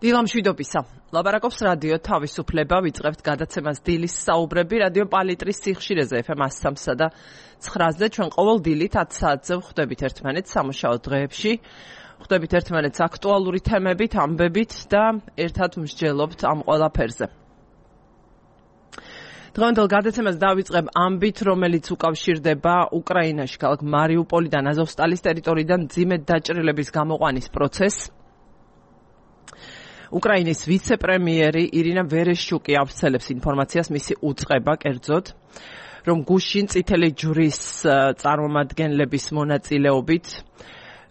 დილამშვიდობისა. ლაპარაკობს რადიო თავისუფლება, ვიწყებთ გადაცემას დილის საუბრები რადიო პალიტრის სიხშირეზე FM 103 და 9-ზე. ჩვენ ყოველ დილით 10 საათზე ვხვდებით ერთმანეთს სამუშაო დღეებში. ვხვდებით ერთმანეთს აქტუალური თემებით, ამბებით და ერთად მსჯელობთ ამ ყველაფერზე. დღევანდელ გადაცემას დავიწყებ ამბით, რომელიც უკავშირდება უკრაინაში, ქალაქ მარიუპოლიდან, აზოვსტალის ტერიტორიიდან მძიმე დაჭრილების გამოყვანის პროცესს. უკრაინის ვიცე-პრემიერი ირინა ვერეშჩუკი ავრცელებს ინფორმაციას მისი უწყება კერძოდ, რომ გუშინ წითელი ჯვრის წარმომადგენლების მონაწილეობით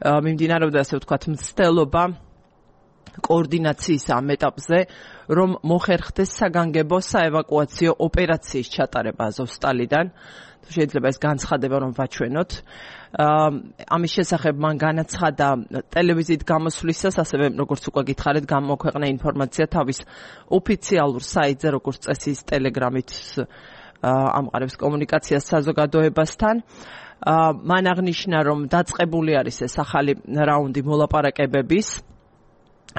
მიმდინარეობდა, ასე ვთქვათ, მცდელობა კოორდინაციის ამ ეტაპზე, რომ მოხერხდეს საგანგებო საევაკუაციო ოპერაციის ჩატარება აზოვსტალიდან. შეიძლება ეს განცხადება რომ ვაჩვენოთ. ამის შესახებ მან განაცხადა ტელევიზიით გამოსვლისას, ასევე როგორც უკვე გითხარით, გამოქვეყნა ინფორმაცია თავის ოფიციალურ საიტზე, როგორც წესი ტელეგრამით ამყარებს კომუნიკაციას საზოგადოებასთან. მან აღნიშნა, რომ დაწყებული არის ეს ახალი რაუნდი მოლაპარაკებების,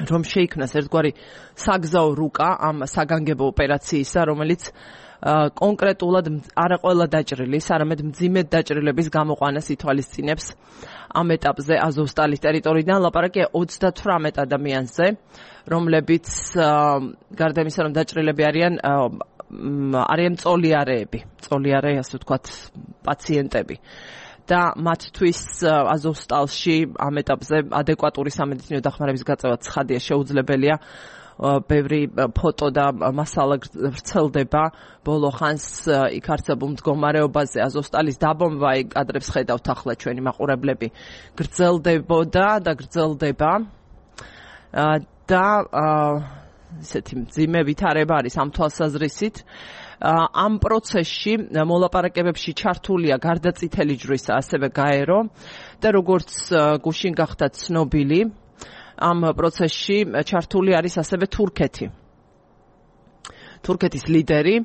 რომ შეიქმნას ერთგვარი საგზაო რუკა ამ საგანგებო ოპერაციისა, რომელიც კონკრეტულად არა ყველა დაჭრილის, არამედ მძიმე დაჭრილების გამოყვანას ითვალისწინებს ამ ეტაპზე აზოვსტალის ტერიტორიიდან. ლაპარაკია 38 ადამიანზე, რომლებიც გარდა იმისა, რომ დაჭრილები არიან წოლიარეები, ასე ვთქვათ, პაციენტები. და მათთვის აზოვსტალში ამ ეტაპზე ადეკვატური სამედიცინო დახმარების გაწევა ცხადია შეუძლებელია. ბევრი ფოტო და მასალა ვრცელდება ბოლო ხანს იქ არსებულ მდგომარეობაზე. აზოვსტალის დაბომბვა, კადრებს ხედავთ ახლა ჩვენი მაყურებლები, გრძელდებოდა და გრძელდება და ისეთი მძიმე ვითარება არის ამ თვალსაზრისით. ამ პროცესში მოლაპარაკებებში ჩართულია გარდა წითელი ჯვრისა ასევე გაერო და როგორც გუშინ გახდა ცნობილი, ამ პროცესში ჩართული არის ასევე თურქეთი. თურქეთის ლიდერი,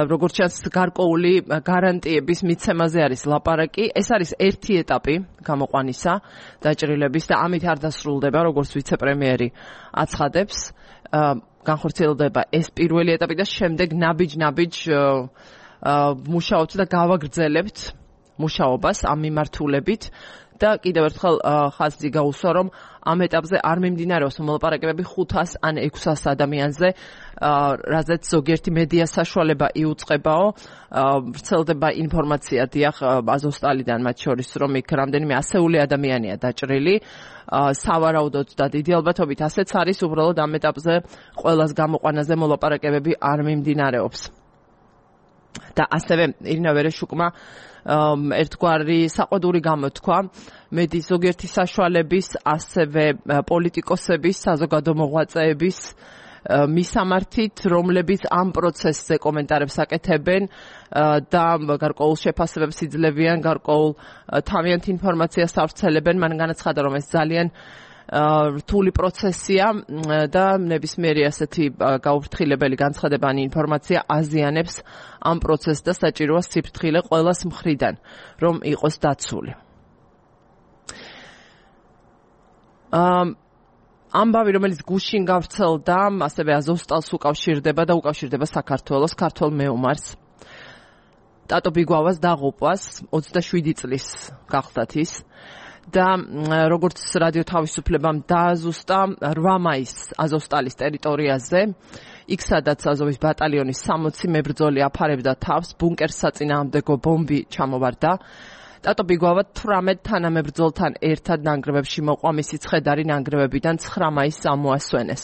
როგორც ჩანს, გარკვეული გარანტიების მიცემაზე არის ლაპარაკი. ეს არის ერთი ეტაპი გამოყვანისა დაჭრილების და ამით არ დასრულდება, როგორც ვიცე-პრემიერი აცხადებს. განხორციელდება ეს პირველი ეტაპი და შემდეგ ნაბიჯ-ნაბიჯ მუშაობთ და გავაგრძელებთ მუშაობას ამ მიმართულებით. და კიდევ ერთხელ ხაზი გაუსვა, რომ ამ ეტაპზე არ მიმდინარეობს მოლაპარაკებები 500 ან 600 ადამიანზე, რაზეც ზოგიერთი მედია საშუალება იუწყებაო. ვრცელდება ინფორმაცია დიახ აზოვსტალიდან, მათ შორის, რომ იქ რამდენიმე ასეული ადამიანია დაჭრილი. სავარაუდოდ და დიდი ალბათობით ასეც არის, უბრალოდ ამ ეტაპზე ყველას გამოყვანაზე მოლაპარაკებები არ მიმდინარეობს. და ასევე ირინა ვერეშჩუკმა ერთგვარი საყვედური გამოთქვა მედიის ზოგიერთი საშუალების, ასევე პოლიტიკოსების, საზოგადო მოღვაწეების მისამართით, რომლებიც ამ პროცესზე კომენტარებს აკეთებენ და გარკვეულ შეფასებებს იძლევიან, გარკვეულ თავიანთ ინფორმაციას ავრცელებენ. მან განაცხადა, რომ ეს ძალიან რთული პროცესია და ნებისმიერი ასეთი გაუფრთხილებელი განცხადებანი ინფორმაცია აზიანებს ამ პროცესს და საჭიროა სიფრთხილე ყველას მხრიდან, რომ იყოს დაცული. ამბავი, რომელიც გუშინ გავრცელდა, ასევე აზოვსტალს უკავშირდება და უკავშირდება საქართველოს ქართველ მეომარს. ტატო ბიგვავას დაღუპვას 27 წლის გახლდათ ის. და როგორც რადიო თავისუფლებამ დააზუსტა 8 მაისს აზოვსტალის ტერიტორიაზე, იქ სადაც აზოვის ბატალიონის 60 მებრძოლი აფარებდა თავს, ბუნკერს საწინააღმდეგო ბომბი ჩამოვარდა. ტატო ბიგვავა 18 თანამებრძოლთან ერთად ნანგრევებში მოყვა, მისი ცხედარი ნანგრევებიდან 9 მაისს ამოასვენეს.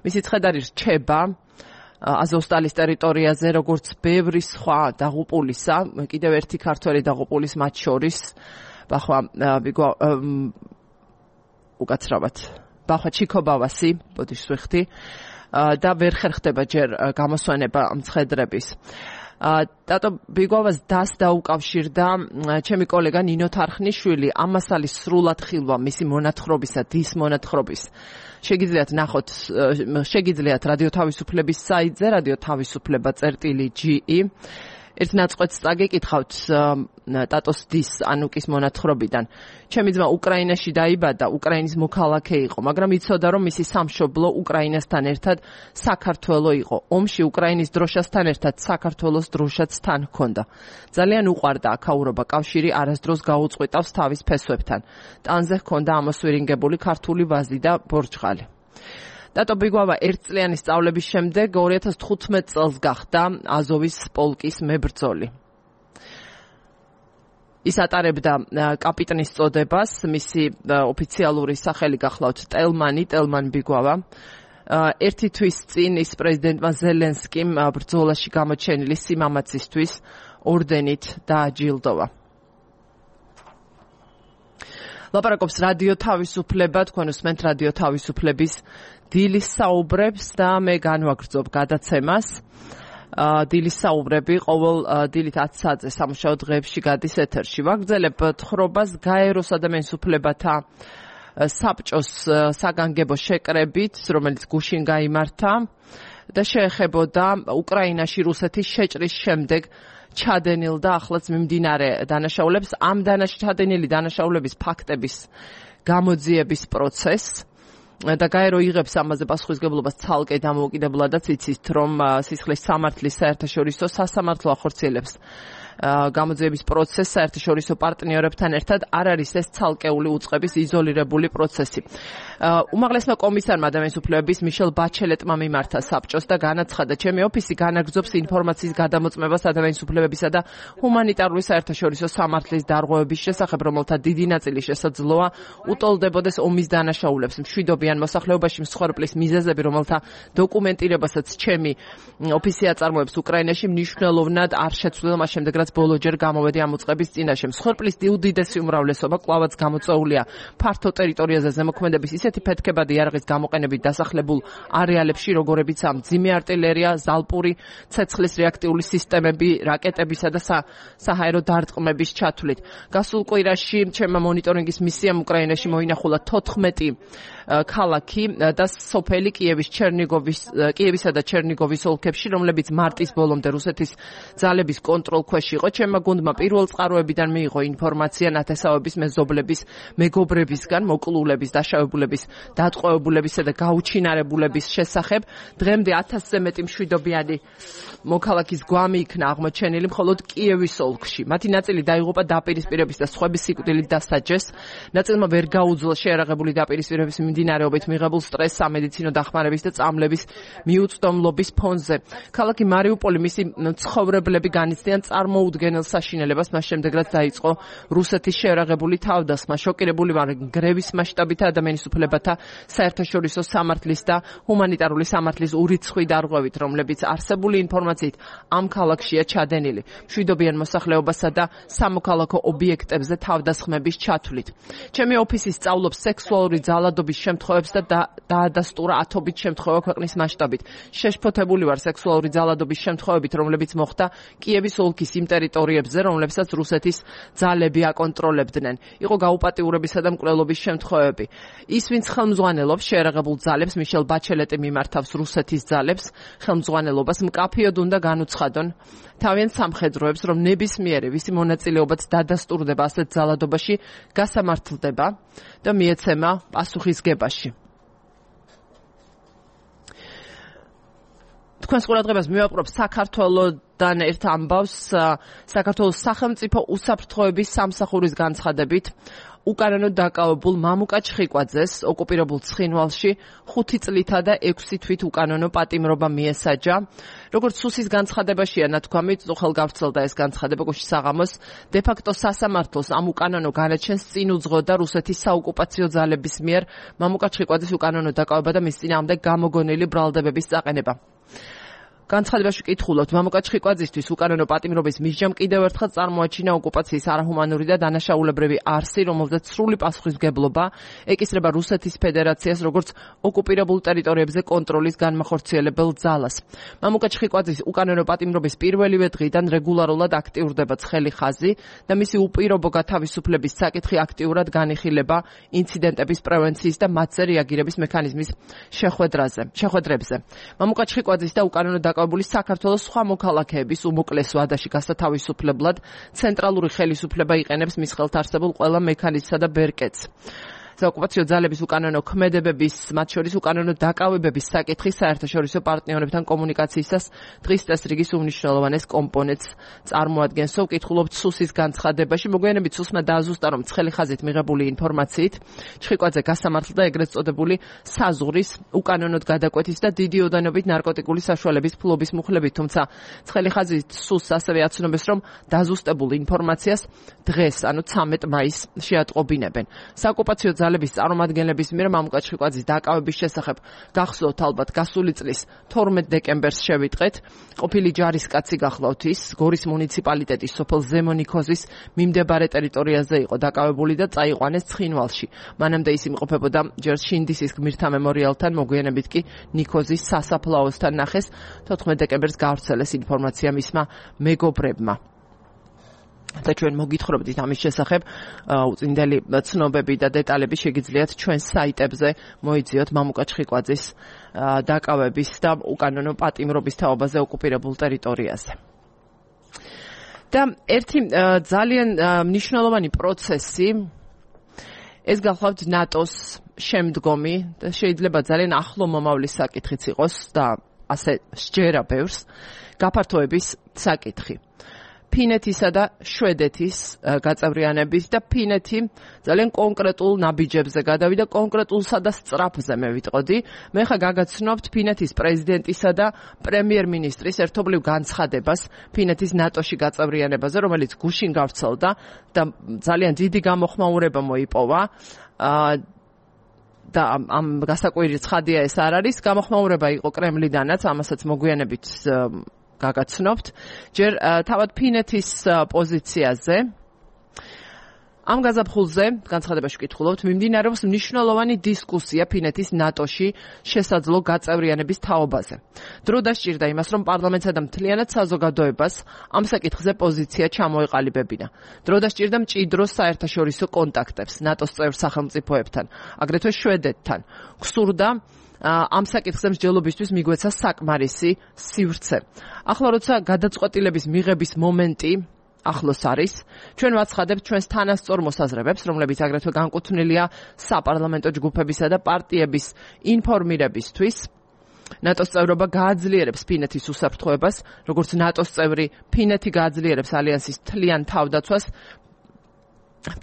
მისი ცხედარი რჩება აზოვსტალის ტერიტორიაზე, როგორც ბევრი სხვა დაღუპულისა, კიდევ ერთი ქართველი დაღუპულის მათ შორის უკაცრავად ბახვა ჩიქობავასი, ბოდიშს ვიხდი, და ვერ ხერხდება ჯერ გამოსვენება მცხედრების. ტატო ბიგვავას დას დაუკავშირდა ჩემი კოლეგა ნინო თარხნიშვილი. ამასალის სრულად ხილვა მისი მონათხრობისა, დის მონათხრობის შეგიძლიათ ნახოთ, შეგიძლიათ რადიო თავისუფლების საიტზე, რადიო თავისუფლება.ge. ერთ ნაწყვეტს წაგეკითხავთ ტატოს დის ანუკის მონათხრობიდან. ჩემი ძმა უკრაინაში დაიბადა, უკრაინის მოქალაქე იყო, მაგრამ იცოდა რომ მისი სამშობლო უკრაინასთან ერთად საქართველო იყო. ომში უკრაინის დროშასთან ერთად საქართველოს დროშაც თან ჰქონდა. ძალიან უყვარდა აქაურობა, კავშირი არასდროს გაუწყვეტავს თავის ფესვებთან. ტანზე ჰქონდა ამოსვირინგებული ქართული ვაზი და ბორჯღალი. ტატო ბიგვავა ერთწლიანი სწავლების შემდეგ 2015 წელს გახდა აზოვის პოლკის მებრძოლი. ის ატარებდა კაპიტნის წოდებას, მისი ოფიციალური სახელი გახლავთ ტელმან ბიგვავა. ერთი თვის წინ ის პრეზიდენტმა ზელენსკიმ ბრძოლაში გამოჩენილი სიმამაცისთვის ორდენით დააჯილდოვა. ლაპარაკობს რადიო თავისუფლება, თქვენ უსმენთ რადიო თავისუფლების დილის საუბრებს და მე განვაგრძობ გადაცემას. დილის საუბრები ყოველ დილით 10 საათზე სამუშაო დღეებში გადის ეთერში. ვაგრძელებ თხრობას გაეროს ადამიანის უფლებათა საბჭოს საგანგებო შეკრებით, რომელიც გუშინ გაიმართა და შეეხებოდა უკრაინაში რუსეთის შეჭრის შემდეგ ჩადენილ და ახლაც მიმდინარე დანაშაულებს, ამ ჩადენილი დანაშაულების ფაქტების გამოძიების პროცესს და გაერო იღებს ამაზე პასუხისგებლობას ცალკე დამოუკიდებლადაც იცით, რომ სისხლის სამართლის საერთაშორისო სასამართლო ახორციელებს გამოძიების პროცესს საერთაშორისო პარტნიორებთან ერთად. არ არის ეს ცალკეული უწყების იზოლირებული პროცესი. უმაღლესმა კომისარმა ადამიანის უფლებების მიშელ ბაჩელეტმა მიმართა საბჭოს და განაცხადა, ჩემი ოფისი განაგრძობს ინფორმაციის გადამოწმებას ადამიანის უფლებებისა და ჰუმანიტარული საერთაშორისო სამართლის დარღვევების შესახებ, რომელთა დიდი ნაწილი შესაძლოა უტოლდებოდეს ომის დანაშაულებს, მშვიდობიან მოსახლეობაში მსხვერპლის მიზეზები, რომელთა დოკუმენტირებასაც ჩემი ოფისი აწარმოებს უკრაინაში, მნიშვნელოვნად არ შეცვლილა მას შემდეგ, რაც ბოლოჯერ გამოვედი ამ უწყების წინაშე. მსხვერპლის უდიდესი უმრავლესობა კვლავაც გამოწვეულია ფართო ტერიტორიაზე ზემოქმედების ისეთი ფეთქებადი იარაღის გამოყენებით დასახლებულ არეალებში, როგორებიცაა მძიმე артиლერია, ზალპური ცეცხლის რეაქტიული სისტემები, რაკეტებისა და საჰაერო დარტყმების ჩათვლით. გასულ კვირაში ჩემმა მონიტორინგის მისიამ უკრაინაში მოინახულა 14 ქალაქი და სოფელი კიევისა და ჩერნიგოვის ოლქებში, რომლებიც მარტის ბოლომდე რუსეთის ძალების კონტროლ ქვეშ იყო. ჩემმა გუნდმა პირველ წყაროებიდან მიიღო ინფორმაცია ნათესავების მეზობლების, მეგობრებისგან მოკლულების, დაშავებულების, დატყვევებულებისა და გაუჩინარებულების შესახებ. დღემდე 1000-ზე მეტი მშვიდობიანი მოქალაქის გვამი იქნა აღმოჩენილი მხოლოდ კიევის ოლქში. მათი ნაწილი დაიღუპა დაპირისპირების და სხვების სიკვდილით დასაჯეს. ნაწილმა ვერ გაუძლო შეერაღებული დაპირისპირების მიმდინარეობით მიღებულ სტრესს სამედიცინო დახმარების და წამლების მიუწვდომლობის ფონზე. ქალაქი მარიუპოლი მისი მცხოვრებლები განიცდიან წარმოუდგენელ საშინელებას, მას შემდეგ რაც დაიწყო რუსეთის შეერაღებული თავდასხმა. შოკირებული ვარ გრევის მასშტაბით ადამიანის უფლებათა საერთაშორისო სამართლის და ჰუმანიტარული სამართლის ურიცხვი დარღვევით, რომლებიც არსებული ინფორმაციით ამ ქალაქშია ჩადენილი. მშვიდობიან მოსახლეობასა და სამოქალაქო ობიექტებზე თავდასხმების ჩათვლით. ჩემი ოფისი სწავლობს სექსუალური ძალადობის შემთხვევებს და დაადასტურა ათობით შემთხვევა ქვეყნის მასშტაბით. შეშფოთებული ვარ სექსუალური ძალადობის შემთხვევებით, რომლებიც მოხდა კიევის ოლქის იმ ტერიტორიებზე, რომლებსაც რუსეთის ძალები აკონტროლებდნენ. იყო გაუპატიურებისა და მკვლელობის შემთხვევები. ის, ვინც ხელმძღვანელობს შეერაღებულ ძალებს, მიშელ ბაჩელეტი მიმართავს რუსეთის ძალებს, ხელმძღვანელობას მკაფიოდ უნდა განუცხადონ თავიანთ სამხედროებს, რომ ნებისმიერი ვისი მონაწილეობაც დადასტურდება ასეთ ძალადობაში, გასამართლდება და მიეცემა პასუხისგებაში. თქვენს ყურადღებას მივაყვრებ საქართველოდან ერთ ამბავს, საქართველოს სახელმწიფო უსაფრთხოების სამსახურის განცხადებით უკანონოდ დაკავებულ მამუკა ჩხიკვაძეს ოკუპირებულ ცხინვალში 5 წლითა და 6 თვით უკანონო პატიმრობა მიესაჯა. როგორც სუსის განცხადებაშია ნათქვამი, უხელ გავრცელდა ეს განცხადება გუშინ საღამოს, დე-ფაქტო სასამართლოს ამ უკანონო განაჩენს წინ უძღოდა რუსეთის საოკუპაციო ძალების მიერ მამუკა ჩხიკვაძის უკანონო დაკავება და მის წინააღმდეგ გამოგონილი ბრალდებების წაყენება. განცხადებაში კითხულობთ, მამუკა ჩხიკვაძისთვის უკანონო პატიმრობის მისჯამ კიდევ ერთხელ წარმოაჩინა ოკუპაციის არაჰუმანური და დანაშაულებრივი არსი, რომელზეც სრული პასუხისმგებლობა ეკისრება რუსეთის ფედერაციას როგორც ოკუპირებულ ტერიტორიებზე კონტროლის განმახორციელებელ ძალას. მამუკა ჩხიკვაძის უკანონო პატიმრობის პირველივე დღიდან რეგულარულად აქტიურდება ცხელი ხაზი და მისი უპირობო გათავისუფლების საკითხი აქტიურად განიხილება ინციდენტების პრევენციის და მათზე რეაგირების მექანიზმის შეხვედრებზე. მამუკა ჩხიკვაძის და უკანონო დაკავებული საქართველოს სხვა მოქალაქეების უმოკლეს ვადაში გასათავისუფლებლად ცენტრალური ხელისუფლება იყენებს მის ხელთ არსებულ ყველა მექანიზმსა და ბერკეტს. ოკუპაციო ძალების უკანონო ქმედებების, მათ შორის უკანონო დაკავებების საკითხი საერთაშორისო პარტნიორებთან კომუნიკაციისას დღის წესრიგის უმნიშვნელოვანეს კომპონენტს წარმოადგენს. ვკითხულობთ სუსის განცხადებაში, მოგვიანებით სუსმა დააზუსტა, რომ ცხელი ხაზით მიღებული ინფორმაციით ჩხიკვაძე გასამართლდა ეგრეთ წოდებული საზღვრის უკანონოდ გადაკვეთის და დიდი ოდენობით ნარკოტიკული საშუალების ფლობის მუხლებით, თუმცა ცხელი ხაზით სუსს ასევე აცნობს, რომ დაზუსტებულ ინფორმაციას დღეს, ანუ 13 მაისს შეატყობინებენ. საოკუპაციო ძალების წარმომადგენლების მიერ მამუკა ჩხიკვაძის დაკავების შესახებ გახსოვთ ალბათ გასული წლის 12 დეკემბერს შევიტყეთ. ყოფილი ჯარისკაცი გახლავთ ის გორის მუნიციპალიტეტის სოფელ ზემონიქოზის მიმდებარე ტერიტორიაზე იყო დაკავებული და წაიყვანეს ცხინვალში. მანამდე ის იმყოფებოდა ჯერ შინდისის გმირთა მემორიალთან, მოგვიანებით კი ნიქოზის სასაფლაოსთან ნახეს. 14 დეკემბერს გავრცელეს ინფორმაცია მისმა მეგობრებმა. და ჩვენ მოგითხრობდით ამის შესახებ უწინდელი ცნობები და დეტალები შეგიძლიათ ჩვენს საიტებზე მოიძიოთ მამუკა ჩხიკვაძის დაკავების და უკანონო პატიმრობის თაობაზე ოკუპირებულ ტერიტორიაზე. და ერთი ძალიან მნიშვნელოვანი პროცესი ეს გახლავთ ნატოს შემდგომი და შეიძლება ძალიან ახლო მომავლის საკითხიც იყოს და ასე სჯერა ბევრს გაფართოების საკითხი. ფინეთისა და შვედეთის გაწევრიანებით და ფინეთი ძალიან კონკრეტულ ნაბიჯებზე გადავიდა, კონკრეტულსა და სწრაფზე მე ვიტყოდი. მე ხა გაგაცნობთ ფინეთის პრეზიდენტისა და პრემიერ-მინისტრის ერთობლივ განცხადებას ფინეთის ნატოში გაწევრიანებაზე, რომელიც გუშინ გავრცელდა და ძალიან დიდი გამოხმაურება მოიპოვა. და ამ გასაკვირი ცხადია ეს არ არის, გამოხმაურება იყო კრემლიდანაც, ამასაც მოგვიანებით გაგაცნობთ. ჯერ თავად ფინეთის პოზიციაზე ამ გაზაფხულზე განცხადებაში ვკითხულობთ, მიმდინარეობს მნიშვნელოვანი დისკუსია ფინეთის ნატოში შესაძლო გაწევრიანების თაობაზე. დრო დასჭირდა იმას, რომ პარლამენტსა და მთლიანად საზოგადოებას ამ საკითხზე პოზიცია ჩამოეყალიბებინა. დრო დასჭირდა მჭიდრო საერთაშორისო კონტაქტებს ნატოს წევრ სახელმწიფოებთან, აგრეთვე შვედეთთან. გსურდა ამ საკითხზე მსჯელობისთვის მიგვეცა საკმარისი სივრცე. ახლა როცა გადაწყვეტილების მიღების მომენტი ახლოს არის, ჩვენ ვაცხადებთ ჩვენს თანასწორ მოსაზრებებს, რომლებიც აგრეთვე განკუთვნილია საპარლამენტო ჯგუფებისა და პარტიების ინფორმირებისთვის. ნატოს წევრობა გააძლიერებს ფინეთის უსაფრთხოებას, როგორც ნატოს წევრი ფინეთი გააძლიერებს ალიანსის მთლიან თავდაცვას.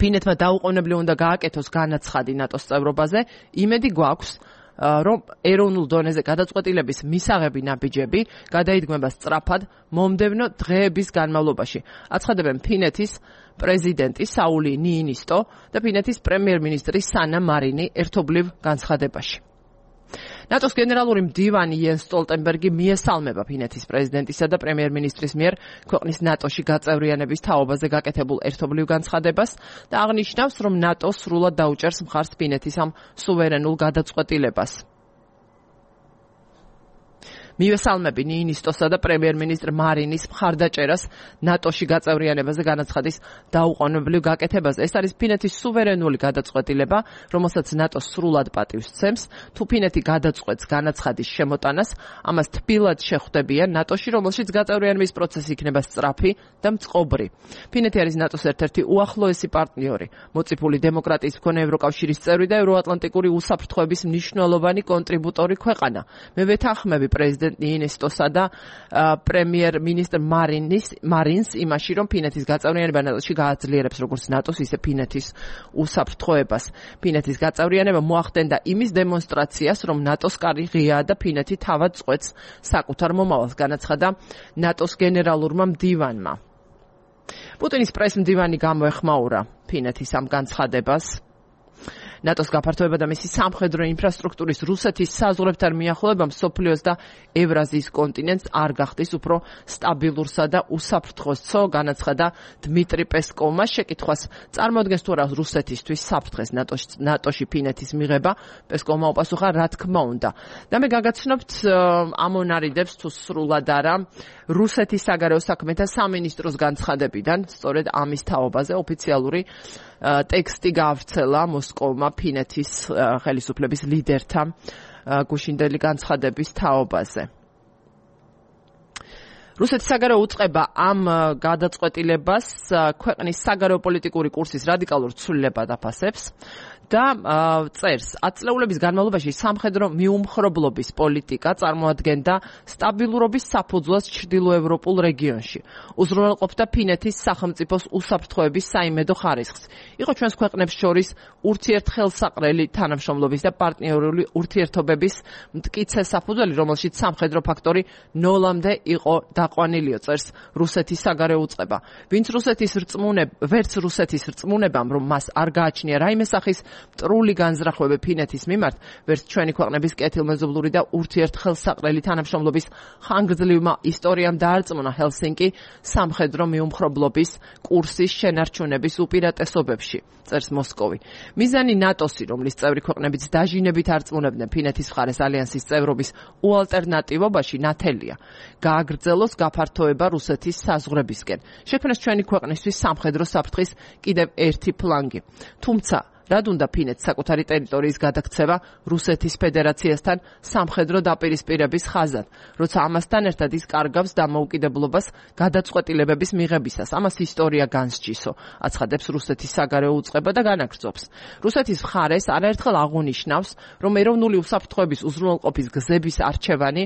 ფინეთმა დაუყოვნებლივ უნდა გააკეთოს განაცხადი ნატოს წევრობაზე, იმედი გვაქვს რომ ეროვნულ დონეზე გადაწყვეტილების მისაღები ნაბიჯები გადაიდგმება სწრაფად მომდევნო დღეების განმავლობაში. აცხადებენ ფინეთის პრეზიდენტი საული ნიინისტო და ფინეთის პრემიერ-მინისტრი სანა მარინი ერთობლივ განცხადებაში. ნატოს გენერალური მდივანი იენს სტოლტენბერგი მიესალმება ფინეთის პრეზიდენტისა და პრემიერ-მინისტრის მიერ ქვეყნის ნატოში გაწევრიანების თაობაზე გაკეთებულ ერთობლივ განცხადებას და აღნიშნავს, რომ ნატო სრულად დაუჭერს მხარს ფინეთის ამ სუვერენულ გადაწყვეტილებას. მიესალმები ნიინისტოსა და პრემიერ-მინისტრ მარინის მხარდაჭერას ნატოში გაწევრიანებაზე განაცხადის დაუყოვნებლივ გაკეთებაზე. ეს არის ფინეთის სუვერენული გადაწყვეტილება, რომელსაც ნატო სრულად პატივს სცემს. თუ ფინეთი გადაწყვეტს განაცხადის შემოტანას, ამას თბილად შეხვდებიან ნატოში, რომელშიც გაწევრიანების პროცესი იქნება სწრაფი და მწყობრი. ფინეთი არის ნატოს ერთ-ერთი უახლოესი პარტნიორი, მოწიფული დემოკრატიის მქონე ევროკავშირის წევრი და ევროატლანტიკური უსაფრთხოების მნიშვნელოვანი კონტრიბუტორი ქვეყანა. მე ვეთანხმები პრეზიდენტ ნიინისტოსა და პრემიერ-მინისტრ მარინს იმაში, რომ ფინეთის გაწევრიანება ნატოში გააძლიერებს როგორც ნატოს, ისე ფინეთის უსაფრთხოებას. ფინეთის გაწევრიანება მოახდენდა იმის დემონსტრაციას, რომ ნატოს კარი ღიაა და ფინეთი თავად წყვეტს საკუთარ მომავალს, განაცხადა ნატოს გენერალურმა მდივანმა. პუტინის პრეს-მდივანი გამოეხმაურა ფინეთის ამ განცხადებას. ნატოს გაფართოება და მისი სამხედრო ინფრასტრუქტურის რუსეთის საზღვრებთან მიახლოება მსოფლიოს და ევრაზიის კონტინენტს არ გახდის უფრო სტაბილურსა და უსაფრთხოსო, განაცხადა დმიტრი პესკოვმა. შეკითხვას წარმოადგენს თუ არა რუსეთისთვის საფრთხეს ნატოში ფინეთის მიღება, პესკოვმა უპასუხა, რა თქმა უნდა. და მე გაგაცნობთ ამონარიდებს თუ სრულად არა რუსეთის საგარეო საქმეთა სამინისტროს განცხადებიდან, სწორედ ამის თაობაზე ოფიციალური ტექსტი გავრცელა მოსკოვმა ფინეთის ხელისუფლების ლიდერთა გუშინდელი განცხადების თაობაზე. რუსეთის საგარეო უწყება ამ გადაწყვეტილებას ქვეყნის საგარეო პოლიტიკური კურსის რადიკალურ ცვლილებად აფასებს და წერს, 10 წლეულების განმავლობაში სამხედრო მიუმხრობლობის პოლიტიკა წარმოადგენდა სტაბილურობის საფუძვლას ჩრდილოევროპულ რეგიონში. უზრუნველყოფდა ფინეთის სახელმწიფოს უსაფრთხოების საიმედო ხარისხს. იყო ჩვენს ქვეყნებს შორის ურთიერთხელსაყრელი თანამშრომლობის და პარტნიორული ურთიერთობების მტკიცე საფუძველი, რომელშიც სამხედრო ფაქტორი ნოლამდე იყო დაყვანილიო, წერს რუსეთის საგარეო უწყება. ვერც რუსეთის რწმუნებამ, რომ მას არ გააჩნია რაიმე სახის მტრული განზრახვები ფინეთის მიმართ, ვერც ჩვენი ქვეყნების კეთილმეზობლური და ურთიერთხელსაყრელი თანამშრომლობის ხანგრძლივმა ისტორიამ დაარწმუნა ჰელსინკი სამხედრო მიუმხრობლობის კურსის შენარჩუნების უპირატესობებში, წერს მოსკოვი. მიზანი ნატოსი, რომლის წევრი ქვეყნებიც დაჟინებით არწმუნებდნენ ფინეთის მხარეს ალიანსის წევრობის უალტერნატივობაში, ნათელია. გააგრძელოს გაფართოება რუსეთის საზღვრებისკენ. შექმნეს ჩვენი ქვეყნისთვის სამხედრო საფრთხის კიდევ ერთი ფლანგი. თუმცა რად უნდა ფინეთს საკუთარი ტერიტორიის გადაქცევა რუსეთის ფედერაციასთან სამხედრო დაპირისპირების ხაზად, როცა ამასთან ერთად ის კარგავს დამოუკიდებლობას გადაწყვეტილებების მიღებისას. ამას ისტორია განსჯისო, აცხადებს რუსეთის საგარეო უწყება და განაგრძობს. რუსეთის მხარეს არაერთხელ აღუნიშნავს, რომ ეროვნული უსაფრთხოების უზრუნველყოფის გზების არჩევანი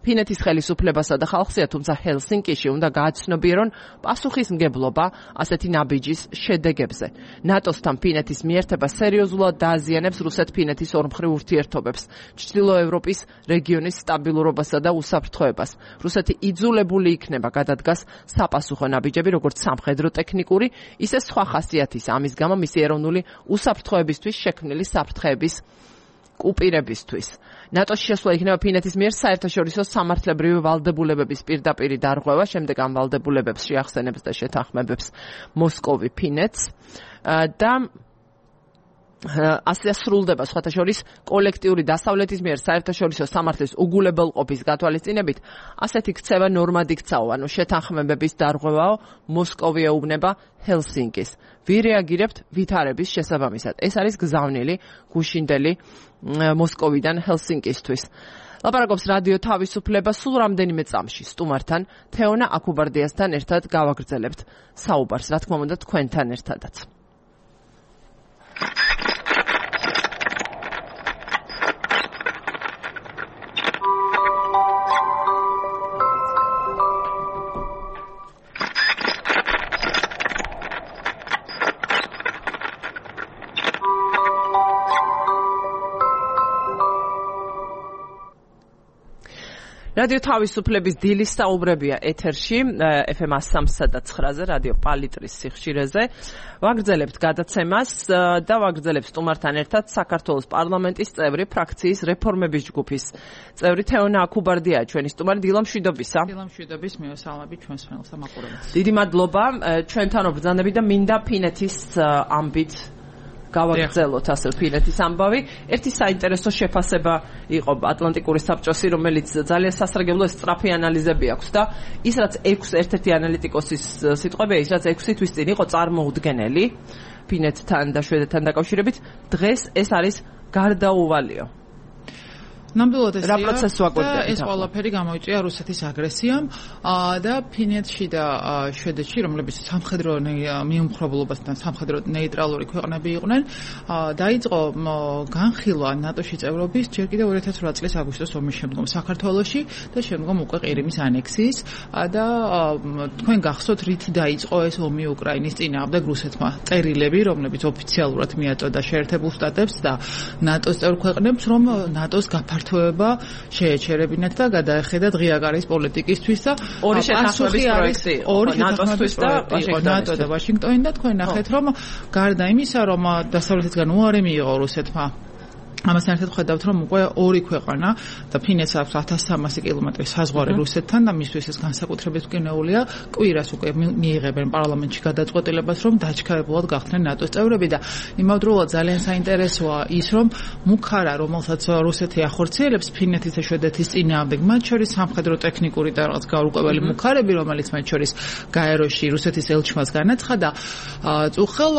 ფინეთის ხელისუფლებასა და ხალხსია, თუმცა ჰელსინკიში უნდა გააცნობიერონ პასუხისმგებლობა ასეთი ნაბიჯის შედეგებზე. ნატოსთან ფინეთის მიერთება სერიოზულად დააზიანებს რუსეთ-ფინეთის ორმხრივ ურთიერთობებს, ჩრდილოევროპის რეგიონის სტაბილურობასა და უსაფრთხოებას. რუსეთი იძულებული იქნება გადადგას საპასუხო ნაბიჯები, როგორც სამხედრო ტექნიკური, ისე სხვა ხასიათის. ამის გამო მისი ეროვნული უსაფრთხოებისთვის შექმნილი საფრთხეების კუპირებისთვის. ნატოში შესვლა იქნება ფინეთის მიერ საერთაშორისო სამართლებრივი ვალდებულებების პირდაპირი დარღვევა, შემდეგ ამ ვალდებულებებს შეახსენებს და შეთანხმებებს მოსკოვი ფინეთს და ასე სრულდება სხვათა შორის კოლექტიური დასავლეთის მიერ საერთაშორისო სამართლის უგულებელყოფის გათვალისწინებით ასეთი ქცევა ნორმად იქცაო, ანუ შეთანხმებების დარღვევაო, მოსკოვი ეუბნება ჰელსინკის. ვირეაგირებთ ვითარების შესაბამისად. ეს არის გზავნილი გუშინდელი მოსკოვიდან ჰელსინკისთვის. ლაპარაკობს რადიო თავისუფლება. სულ რამდენიმე წამში სტუმართან თეონა აკუბარდიასთან ერთად გავაგრძელებთ საუბარს, რა თქმა უნდა თქვენთან ერთადაც. რადიო თავისუფლების დილის საუბრებია ეთერში, FM 103.9-ზე, რადიო პალიტრის სიხშირეზე. ვაგრძელებთ გადაცემას და ვაგრძელებთ სტუმართან ერთად საქართველოს პარლამენტის წევრი, ფრაქციის რეფორმების ჯგუფის წევრი თეონა აკუბარდია, ჩვენი სტუმარი. დილამშვიდობისა. დილამშვიდობის, მივესალმებით ჩვენს მელს ამაყურებელს. დიდი მადლობა ჩვენთან ბრძანები და მინდა ფინეთის ამბით გავაგრძელოთ ასე ფინეთის ამბავი. ერთი საინტერესო შეფასება იყო ატლანტიკური საბჭოსი, რომელიც ძალიან სასარგებლო სწრაფი ანალიზები აქვს და ის რაც 6 ერთ-ერთი ანალიტიკოსის სიტყვებია, ის რაც 6 თვის წინ იყო წარმოუდგენელი ფინეთთან და შვედეთთან დაკავშირებით, დღეს ეს არის გარდაუვალიო. ნამდვილად რა პროცესს ვაკვირდებით? ეს ყველაფერი გამოიწვია რუსეთის აგრესიამ და ფინეთში და შვედეთში, რომლებიც სამხედრო მიუმხრობლობასთან სამხედრო ნეიტრალური ქვეყნები იყვნენ, დაიწყო განხილვა ნატოში წევრობის ჯერ კიდევ 2008 წლის აგვისტოს ომის შემდგომ საქართველოში და შემდგომ უკვე ყირიმის ანექსიის და თქვენ გახსოვთ რითი დაიწყო ეს ომი უკრაინის წინააღმდეგ რუსეთმა. წერილები, რომლებიც ოფიციალურად მიაწოდა შეერთებულ შტატებს და ნატოს წევრ ქვეყნებს, რომ ნატოს გაფართოება შეეჩერებინათ და გადაეხედათ ღიაკარის პოლიტიკისთვის და ორი შეთანხმების პროექტი ნატოსთვის და ნატო და ვაშინგტონი და თქვენ ნახეთ რომ გარდა იმისა რომ დასავლეთისგან უარი მიიღო რუსეთმა ამასთან ერთად ხედავთ რომ უკვე ორი ქვეყანა და ფინეთს აქვს 1300 კილომეტრი საზღვარი რუსეთთან და მისთვის ეს განსაკუთრებით მკვნეულია კვირას უკვე მიიღებენ პარლამენტში გადაწყვეტილებას რომ დაჩქარებულად გახდნენ ნატოს წევრები და იმავდროულად ძალიან საინტერესოა ის რომ მუქარა რომელსაც რუსეთი ახორციელებს ფინეთის და შვედეთის წინააღმდეგ მათ შორის სამხედრო ტექნიკური და რაღაც გაურკვეველი მუქარები რომელიც მათ შორის გაეროში რუსეთის ელჩმას განაცხადა წუხელ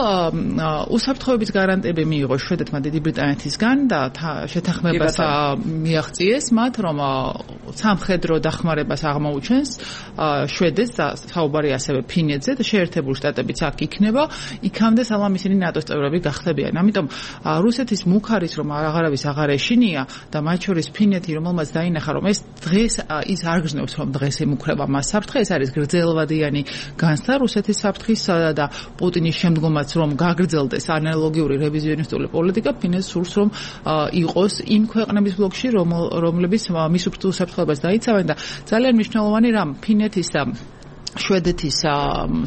უსაფრთხოების გარანტიები მიიღო შვედეთმა დიდი ბრიტანეთისგან და შეთანხმებას მიაღწიეს მათ, რომ სამხედრო დახმარებას აღმოუჩენს შვედეთს და საუბარი ასევე ფინეთზე და შეერთებული შტატებიც აქ იქნება, იქამდე სალამ ისინი ნატოს წევრები გახდებიან. ამიტომ რუსეთის მუქარის რომ აღარავის აღარ ეშინია და მათ შორის ფინეთი, რომელმაც დაინახა, რომ ეს დღეს ის არ გრძნობს, რომ დღეს ემუქრება მას საფრთხე, ეს არის გრძელვადიანი განცდა რუსეთის საფრთხისა და პუტინის შემდგომაც რომ გაგრძელდეს ანალოგიური რევიზიონისტული პოლიტიკა, ფინეთს სურს რომ იყოს იმ ქვეყნების ბლოკში, რომლებიც მის უსაფრთხოებას დაიცავენ და ძალიან მნიშვნელოვანი რამ ფინეთის და შვედეთის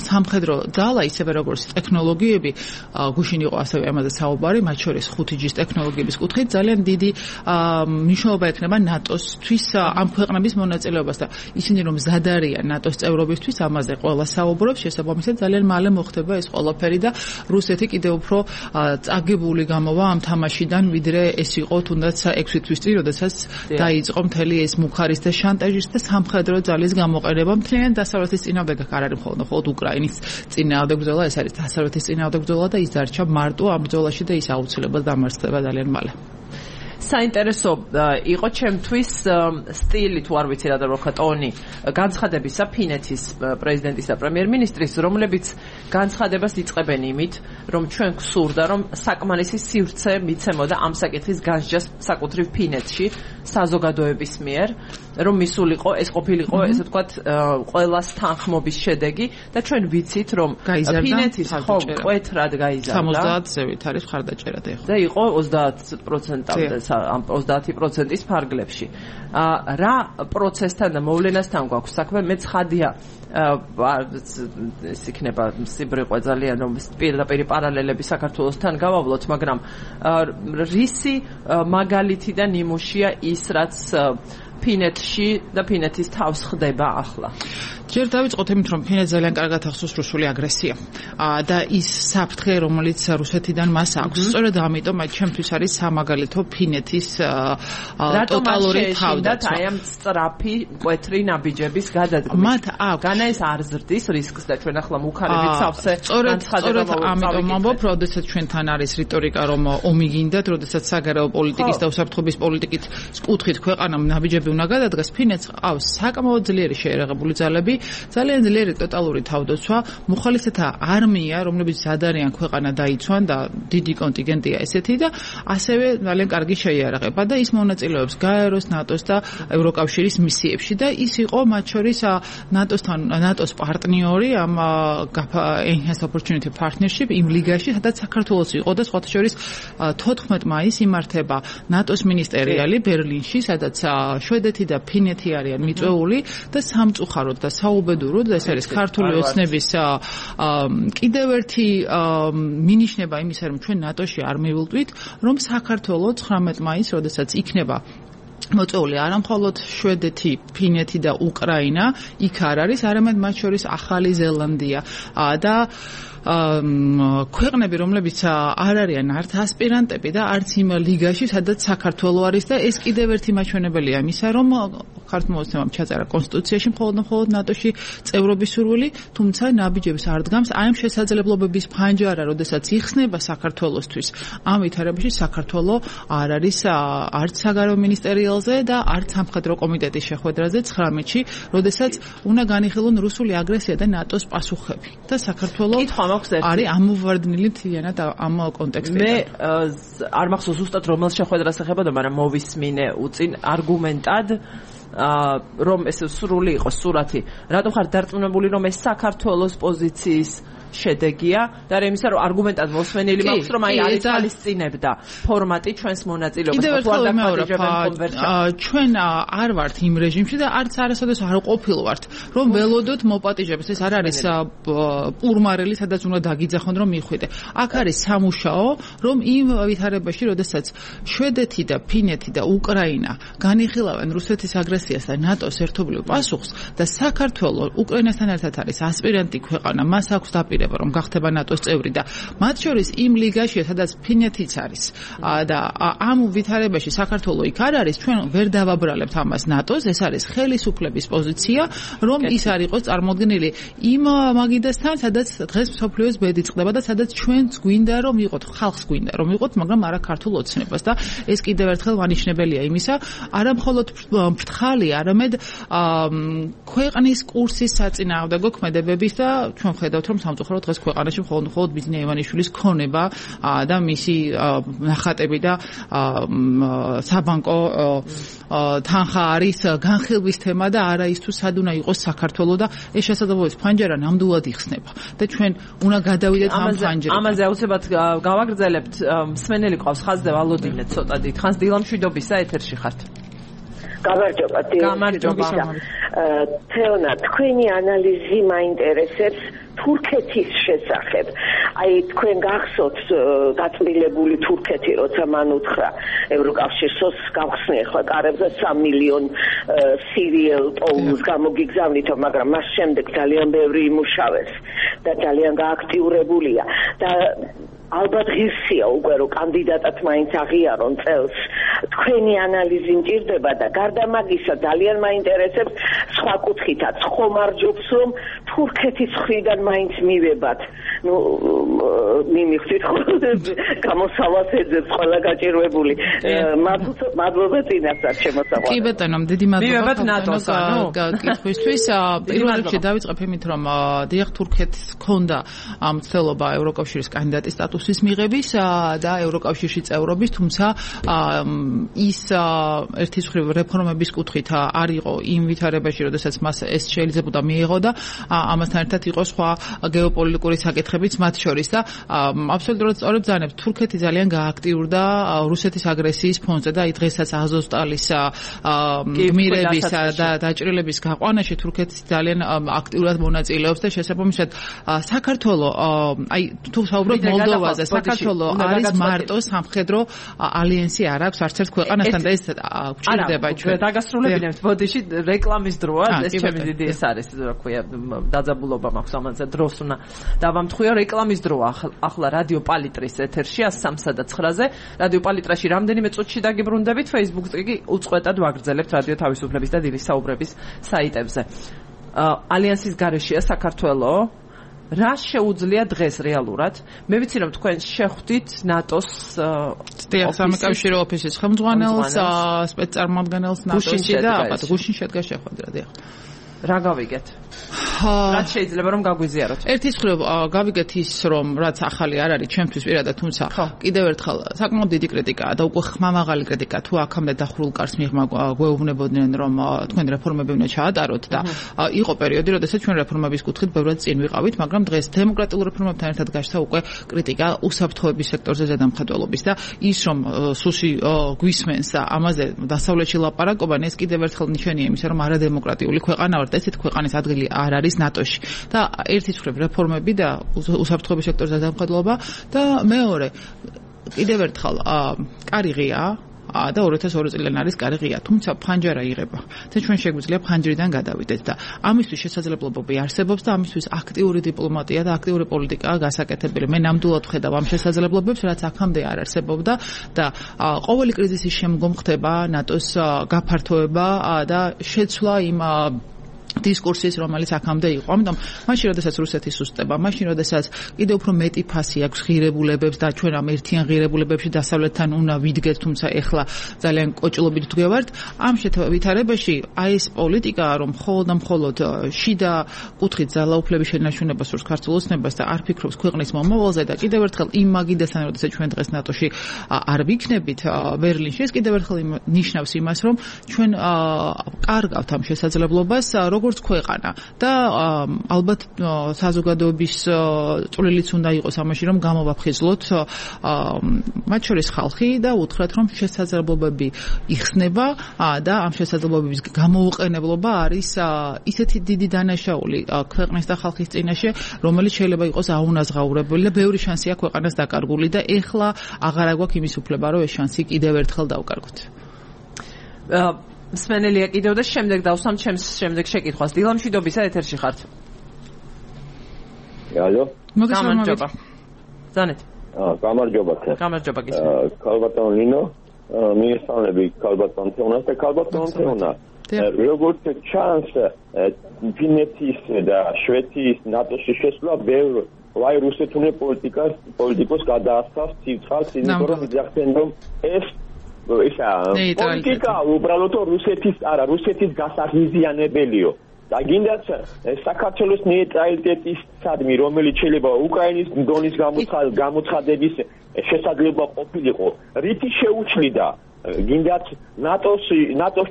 სამხედრო ძალა ისევე როგორც ტექნოლოგიები გუშინ იყო ასევე ამაზე საუბარი, მათ შორის 5G-ის ტექნოლოგიების კუთხით ძალიან დიდი მნიშვნელობა ექნება ნატოსთვის ამ ქვეყნების მონაწილეობას და ისინი რომ მზად არიან ნატოს წევრობისთვის, ამაზე ყველა საუბრობს, შესაბამისად ძალიან მალე მოხდება ეს ყველაფერი და რუსეთი კიდევ უფრო წაგებული გამოვა ამ თამაშიდან, ვიდრე ეს იყო თუნდაც 6 თვის წინ, როდესაც დაიწყო მთელი ეს მუხარის და შანტაჟის და სამხედრო ძალის გამოყენება მთლიანად დასავლეთის წინააღმდეგ არ არის მხოლოდ უკრაინის წინააღმდეგ ბრძოლა, ეს არის დასავლეთის წინააღმდეგ ბრძოლა და ის დარჩა მარტო ამ ბრძოლაში და ის აუცილებლად დამარცხდება ძალიან მალე. საინტერესო იყო ჩემთვის სტილი, თუ არ ვიცი რა და როქა ტონი განცხადებისა ფინეთის პრეზიდენტის და პრემიერ-მინისტრის, რომლებიც განცხადებას იწყებენ იმით, რომ ჩვენ გვსურდა, რომ საკმარისი სივრცე მიცემოდა ამ საკითხის განსჯას საკუთრივ ფინეთში საზოგადოების მიერ, რომ მისულიყო ეს ყოფილიყო ესე ვთქვათ ყველას თანხმობის შედეგი და ჩვენ ვიცით, რომ ფინეთის ხომ მკვეთრად გაიზარდა 70-ზევით არის მხარდაჭერა და იყო 30%-ამდე 30%-ის ფარგლებში. რა პროცესთან და მოვლენასთან გვაქვს საქმე? მე ცხადია ეს იქნება სიბრიყვე ძალიან რომ პირდაპირ პარალელები საქართველოსთან გავავლოთ, მაგრამ რისი მაგალითი და ნიმუშია ის, რაც ფინეთში და ფინეთის თავს ხდება ახლა? ჯერ დავიწყოთ იმით, რომ ფინეთს ძალიან კარგად ახსოვს რუსული აგრესია და ის საფრთხე, რომელიც რუსეთიდან მას აქვს. სწორედ ამიტომ ჩემთვის არის სამაგალითო ფინეთის ტოტალური თავდაცვა. აი ამ სწრაფი მკვეთრი ნაბიჯების გადადგმის. მათ აქვს. განა ეს არ ზრდის რისკს და ჩვენ ახლა მუხარებით სავსე განცხადება ამიტომ ამბობ, როდესაც ჩვენთან არის რიტორიკა, რომ ომი გინდათ, როდესაც საგარეო პოლიტიკის და უსაფრთხოების პოლიტიკის კუთხით ქვეყანამ ნაბიჯები უნდა გადადგას, ფინეთს ყავს საკმაოდ ძლიერი შეერაღებული ძალები, ძალიან ძლიერი ტოტალური თავდაცვა, მუხალისეთა არმია, რომლებიც ზადარიან ქვეყანა დაიცვან და დიდი კონტინგენტია ესეთი და ასევე ძალიან კარგი შეიარაღება და ის მონაწილეობს გაეროს, ნატოს და ევროკავშირის მისიებში და ის იყო მათ შორის ნატოს პარტნიორი ამ Enhanced Opportunity Partnership იმ ლიგაში, სადაც საქართველოს იყო და სხვათა შორის 14 მაისს იმართება ნატოს მინისტერიალი ბერლინში, სადაც შვედეთი და ფინეთი არიან მიწვეული და სამწუხაროდ და საუბედუროდ ეს არის ქართული ოცნების კიდევ ერთი მინიშნება იმისა, რომ ჩვენ ნატოში არ მივილტვით, რომ საქართველოს 19 მაისს, როდესაც იქნება მოწვეული არა მხოლოდ შვედეთი, ფინეთი და უკრაინა, იქ არ არის, არამედ მათ შორის ახალი ზელანდია და ქვეყნები, რომლებიც არ არიან არც ასპირანტები და არც იმ ლიგაში, სადაც საქართველო არის და ეს კიდევ ერთი მაჩვენებელია იმისა, რომ ქართლ-მოსნევამ ჩაწერა კონსტიტუციაში მხოლოდ ნატოში წევრობის სურვილი, თუმცა ნაბიჯებს არ დგამს აი ამ შესაძლებლობების ფანჯარა, როდესაც იხსნება საქართველოსთვის. ამ ვითარებაში საქართველო არ არის არც საგარეო მინისტერიალზე და არც სამხედრო კომიტეტის შეხვედრაზე 19-ში, როდესაც უნდა განიხილონ რუსული აგრესია და ნატოს პასუხები. და საქართველო არის ამოვარდნილი მთლიანად ამ კონტექსტში. მე არ მახსოვს ზუსტად რომელ შეხვედრას ეხებოდა, მაგრამ მოვისმინე უწინ არგუმენტად რომ ეს სრული იყოს სურათი. რატომ ხარ დარწმუნებული, რომ ეს საქართველოს პოზიციის შედეგია და რა იმისა, რომ არგუმენტად მოსმენილი მაქვს, რომ აი არის თვალისწინებდა ფორმატი ჩვენს მონაწილეობას. ჩვენ არ ვართ იმ რეჟიმში და არც არასოდეს არ ყოფილვართ, რომ ველოდოთ მოპატიჟებს. ეს არ არის პურმარელი, სადაც უნდა დაგიძახონ, რომ მიხვიდე. აქ არის სამუშაო, რომ იმ ვითარებაში, როდესაც შვედეთი და ფინეთი და უკრაინა განიხილავენ რუსეთის აგრესიას და ნატოს ერთობლივ პასუხს და საქართველო უკრაინასთან ერთად არის ასპირანტი ქვეყანა, მას აქვს დაპირება, რომ გახდება ნატოს წევრი და მათ შორის იმ ლიგაშია, სადაც ფინეთიც არის. და ამ ვითარებაში საქართველოს იქ არ არის, ჩვენ ვერ დავაბრალებთ ამას ნატოს, ეს არის ხელისუფლების პოზიცია, რომ ის არ იყოს წარმოდგენილი იმ მაგიდასთან, სადაც დღეს მსოფლიოს ბედი წყდება და სადაც ჩვენც გვინდა რომ იყოთ, ხალხს გვინდა რომ იყოთ, მაგრამ არა ქართულ ოცნებას და ეს კიდევ ერთხელ მანიშნებელია იმისა, არა მხოლოდ ფრთხალი, არამედ ქვეყნის კურსის საწინააღმდეგო ქმედებების და ჩვენ ხედავთ რომ სამწუხაროდ დღეს ქვეყანაში მხოლოდ ბიზნეს ივანიშვილის ქონება და მისი ნახატები და საბანკო თანხა არის განხილვის თემა და არა ის თუ სად უნდა იყოს საქართველოს და ეს შესაძლებლობის ფანჯარა ნამდვილად იხსნება და ჩვენ უნდა გადავიდეთ ამ ფანჯრიდან. ამაზე აუცილებლად გავაგრძელებთ. მსმენელი ყავს ხაზზე ვალოდინე ცოტა დიდხანს დილამშვიდობისა ეთერში ხართ. გამარჯობა. თეონა, თქვენი ანალიზი მაინტერესებს თურქეთის შესახებ. აი თქვენ გახსოვთ გაწმილებული თურქეთი, როცა მან უთხრა ევროკავშირს გავხსნი ახლა კარებზე 3 მილიონ სირიელ ტოუნს გამოგიგზავნითო, მაგრამ მას შემდეგ ძალიან ბევრი იმუშავეს და ძალიან გააქტიურებულია და ალბათ ღირსია უკვე რომ კანდიდატად მაინც აღიარონ წელს. თქვენი ანალიზი მჭირდება და გარდა მაგისა ძალიან მაინტერესებს სხვა კუთხითაც ხომ არ ჯობს რომ თურქეთის მხრიდან მაინც მივებათ. ნუ მიმიხდით გამოსავალს ეძებს ყველა გაჭირვებული. მადლობა წინასწარ შემოსავალს. კი ბატონო, დიდი მადლობა კითხვისთვის. პირველ რიგში დავიწყებ იმით რომ დიახ თურქეთს ჰქონდა მცდელობა ევროკავშირის კანდიდატის სტატუსის მიღების და ევროკავშირში წევრობის, თუმცა ის ერთის მხრივ რეფორმების კუთხით არ იყო იმ ვითარებაში, როდესაც მას ეს შეიძლებოდა მიიღო და ამასთან ერთად იყო სხვა გეოპოლიტიკური საკითხებიც მათ შორის და აბსოლუტურად სწორად ბრძანებს. თურქეთი ძალიან გააქტიურდა რუსეთის აგრესიის ფონზე და დღესაც აზოვსტალის გმირების და დაჭრილების გაყვანაში თურქეთი ძალიან აქტიურად მონაწილეობს და შესაბამისად საქართველოს აი თუ საუბრობთ მოლდოვაზე, საქართველოს არის მარტო სამხედრო ალიანსი არ აქვს არც ერთ ქვეყანასთან და ეს გვჭირდება ჩვენ. დაგასრულებინებთ ბოდიში რეკლამის დროა, ეს ჩემი დიდი ეს არის, რა ქვია, დაძაბულობა მაქვს ამაზე დროს უნდა დავამთხვიო რეკლამის დროა. ახლა რადიო პალიტრის ეთერში 103-ზე, რადიო პალიტრაში რამდენიმე წუთში დაგიბრუნდებით, Facebook-ზე კი უწყვეტად ვაგრძელებთ რადიო თავისუფლების და დილის საუბრების საიტებზე. ალიანსის გარეშეა საქართველოს. რა შეუძლია დღეს რეალურად? მე ვიცი რომ თქვენ შეხვდით ნატოს სამეკავშირო ოფისის ხელმძღვანელს, სპეცწარმოადგენელს ნატოში და აბა გუშინ შედგა შეხვედრა. დიახ. რა გავიგეთ? რაც შეიძლება რომ გაგვიზიაროთ. ერთის მხრივ გავიგეთ ის რომ რაც ახალი არ არის ჩემთვის პირადად, თუმცა კიდევ ერთხელ საკმაოდ დიდი კრიტიკაა და უკვე ხმამაღალი კრიტიკა თუ აქამდე დახურულ კარს მიღმა გვეუბნებოდნენ რომ თქვენ რეფორმები უნდა ჩაატაროთ და იყო პერიოდი, როდესაც ჩვენ რეფორმების კუთხით ბევრად წინ ვიყავით, მაგრამ დღეს დემოკრატიულ რეფორმებთან ერთად გაჩნდა უკვე კრიტიკა უსაფრთხოების სექტორზე ზედამხედველობის და ის რომ სუსი გვისმენს ამაზე დასავლეთში ლაპარაკობენ, ეს კიდევ ერთხელ ნიშანია იმისა რომ არადემოკრატიული ქვეყანა ვართ, ესეთ ქვეყანის ადგილი არ არის ნატოში და ერთის მხრივ რეფორმები და უსაფრთხოების სექტორზე დამხადლობა და მეორე კიდევ ერთხელ კარი ღია და 2002 წლიდან არის კარი ღია, თუმცა ფანჯარა იღება და ჩვენ შეგვიძლია ფანჯრიდან გადავიდეთ და ამისთვის შესაძლებლობები არსებობს და ამისთვის აქტიური დიპლომატია და აქტიური პოლიტიკაა გასაკეთებელი. მე ნამდვილად ვხედავ ამ შესაძლებლობებს, რაც აქამდე არ არსებობდა და ყოველი კრიზისის შემდგომ ხდება ნატოს გაფართოება და შეცვლა იმ დისკურსის, რომელიც აქამდე იყო. ამიტომ მაშინ, როდესაც რუსეთი სუსტდება, მაშინ, როდესაც კიდევ უფრო მეტი ფასი აქვს ღირებულებებს და ჩვენ ამ ერთიან ღირებულებებში დასავლეთთან უნდა ვიდგეთ, თუმცა ეხლა ძალიან კოჭლობით ვდგევართ. ამ ვითარებაში აი ეს პოლიტიკა, რომ მხოლოდ შიდა კუთხით ძალაუფლების შენარჩუნებას სურს ქართულ ოცნებას და არ ფიქრობს ქვეყნის მომავალზე და კიდევ ერთხელ იმ მაგიდასთან, როდესაც ჩვენ დღეს ნატოში არ ვიქნებით ბერლინში, ეს კიდევ ერთხელ ნიშნავს იმას, რომ ჩვენ კარგავთ ამ შესაძლებლობას როგორც ქვეყანა და ალბათ საზოგადოების წვლილიც უნდა იყოს ამაში, რომ გამოვაფხიზლოთ მათ შორის ხალხი და უთხრათ, რომ შესაძლებლობები იხსნება და ამ შესაძლებლობების გამოუყენებლობა არის ისეთი დიდი დანაშაული ქვეყნის და ხალხის წინაშე, რომელიც შეიძლება იყოს აუნაზღაურებელი და ბევრი შანსია ქვეყანას დაკარგული და ეხლა აღარ აგვაქვს იმის უფლება, რომ ეს შანსი კიდევ ერთხელ დავკარგოთ. მსმენელია კიდევ და შემდეგ დავსვამ ჩემს შემდეგ შეკითხვას. დილამშვიდობისა ეთერში ხართ. ალო გამარჯობა ზანეთ გამარჯობა გამარჯობა ქალბატონ ლინო მიესალმები ქალბატონ თეონას და ქალბატონ თეონა როგორც ჩანს ფინეთის და შვედეთის ნატოში შესვლა ბევრ ვაი რუსეთუნე პოლიტიკოს გადაასწავს ცივცხალს იმიტომ რომ იძახდნენ რომ ეს პოლიტიკა უბრალოდ რუსეთის გასაღიზიანებელიო და გინდათ საქართველოს ნეიტრალიტეტისადმი რომელიც შეიძლება უკრაინის დონის გამოცხადების შესაძლებლობა ყოფილიყო რითი შეუჩლიდა გინდათ ნატოს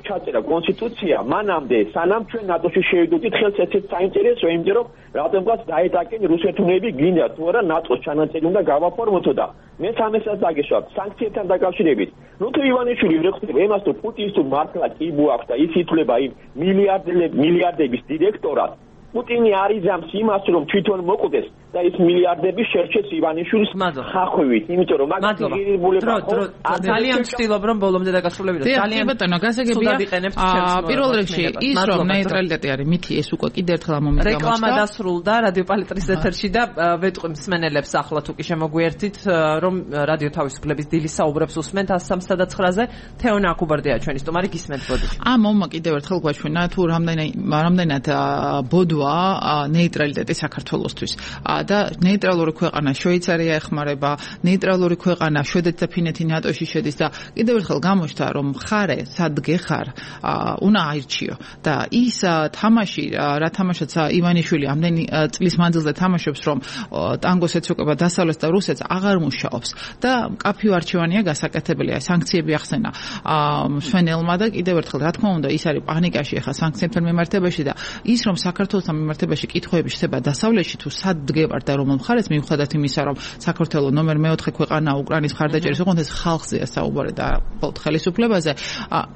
ჩაწერა კონსტიტუცია მანამდე სანამ ჩვენ ნატოში შევიდოდით ხელს ესეც საინტერესოა იმიტომ რომ რატომღაც დაეტაკენ რუსეთუნები გინდათ თუ არა ნატოს ჩანაწერი უნდა გავაფორმოთო და მე სამესაც დაგეშვა სანქციებთან დაკავშირებით ნუ თუ ივანიშვილი ვერხდება იმას თუ პუტინს თუ მართლა კიბო აქვს და ის ითვლება იმ მილიარდების დირექტორად პუტინი არიზამს იმას რომ თვითონ მოკვდეს და ის მილიარდები შერჩეს ივანიშვილის ხახვივით იმიტომ რომ მაგ ღირებულება ძალიან ვცდილობ რომ ბოლომდე დაგასრულებინო ძალიან ბატონო გასაგებია პირველ რიგში ის რომ ნეიტრალიტეტი არის მითი ეს უკვე კიდევ ერთხელ მომიგამოჩნდა რეკლამა დასრულდა რადიო პალიტრის ეთერში და ვეტყვი მსმენელებს ახლა თუ კი შემოგვიერთით რომ რადიო თავისუფლების დილის საუბრებს უსმენთ 103-ზე თეონა აკუბარდია ჩვენი სტუმარი გისმენთ ბოდიში მომმა კიდევ ერთხელ გვაჩვენა თუ რამდენად ბოდვა ნეიტრალიტეტი საქართველოსთვის და ნეიტრალური ქვეყანა შვეიცარია ეხმარება ნეიტრალური ქვეყანა შვედეთი და ფინეთი ნატოში შედის და კიდევ ერთხელ გამოჩნდა რომ ხარე სადგე ხარ უნდა აირჩიო და ის თამაში რა თამაშიც ივანიშვილი ამდენი წლის მანძილზე თამაშობს რომ ტანგოს ეცოკება დასავლეთს და რუსეთს აღარ მუშაობს და კაფიო არჩევანია გასაკეთებელია სანქციები ახსენა მსვენელმა და კიდევ ერთხელ რა თქმა უნდა ის არის პანიკაში ახლა სანქციებთან მიმართებაში და ის რომ საქართველოსთან მიმართებაში კითხვები შეება დასავლეთში თუ სადგე და რომ მხარეს მიუხედავად იმისა რომ საქართველოს ნომერ 4 ქვეყანა უკრაინის მხარდაჭერის ოღონდ ეს ხალხზეა საუბარი და ხელისუფლებაზე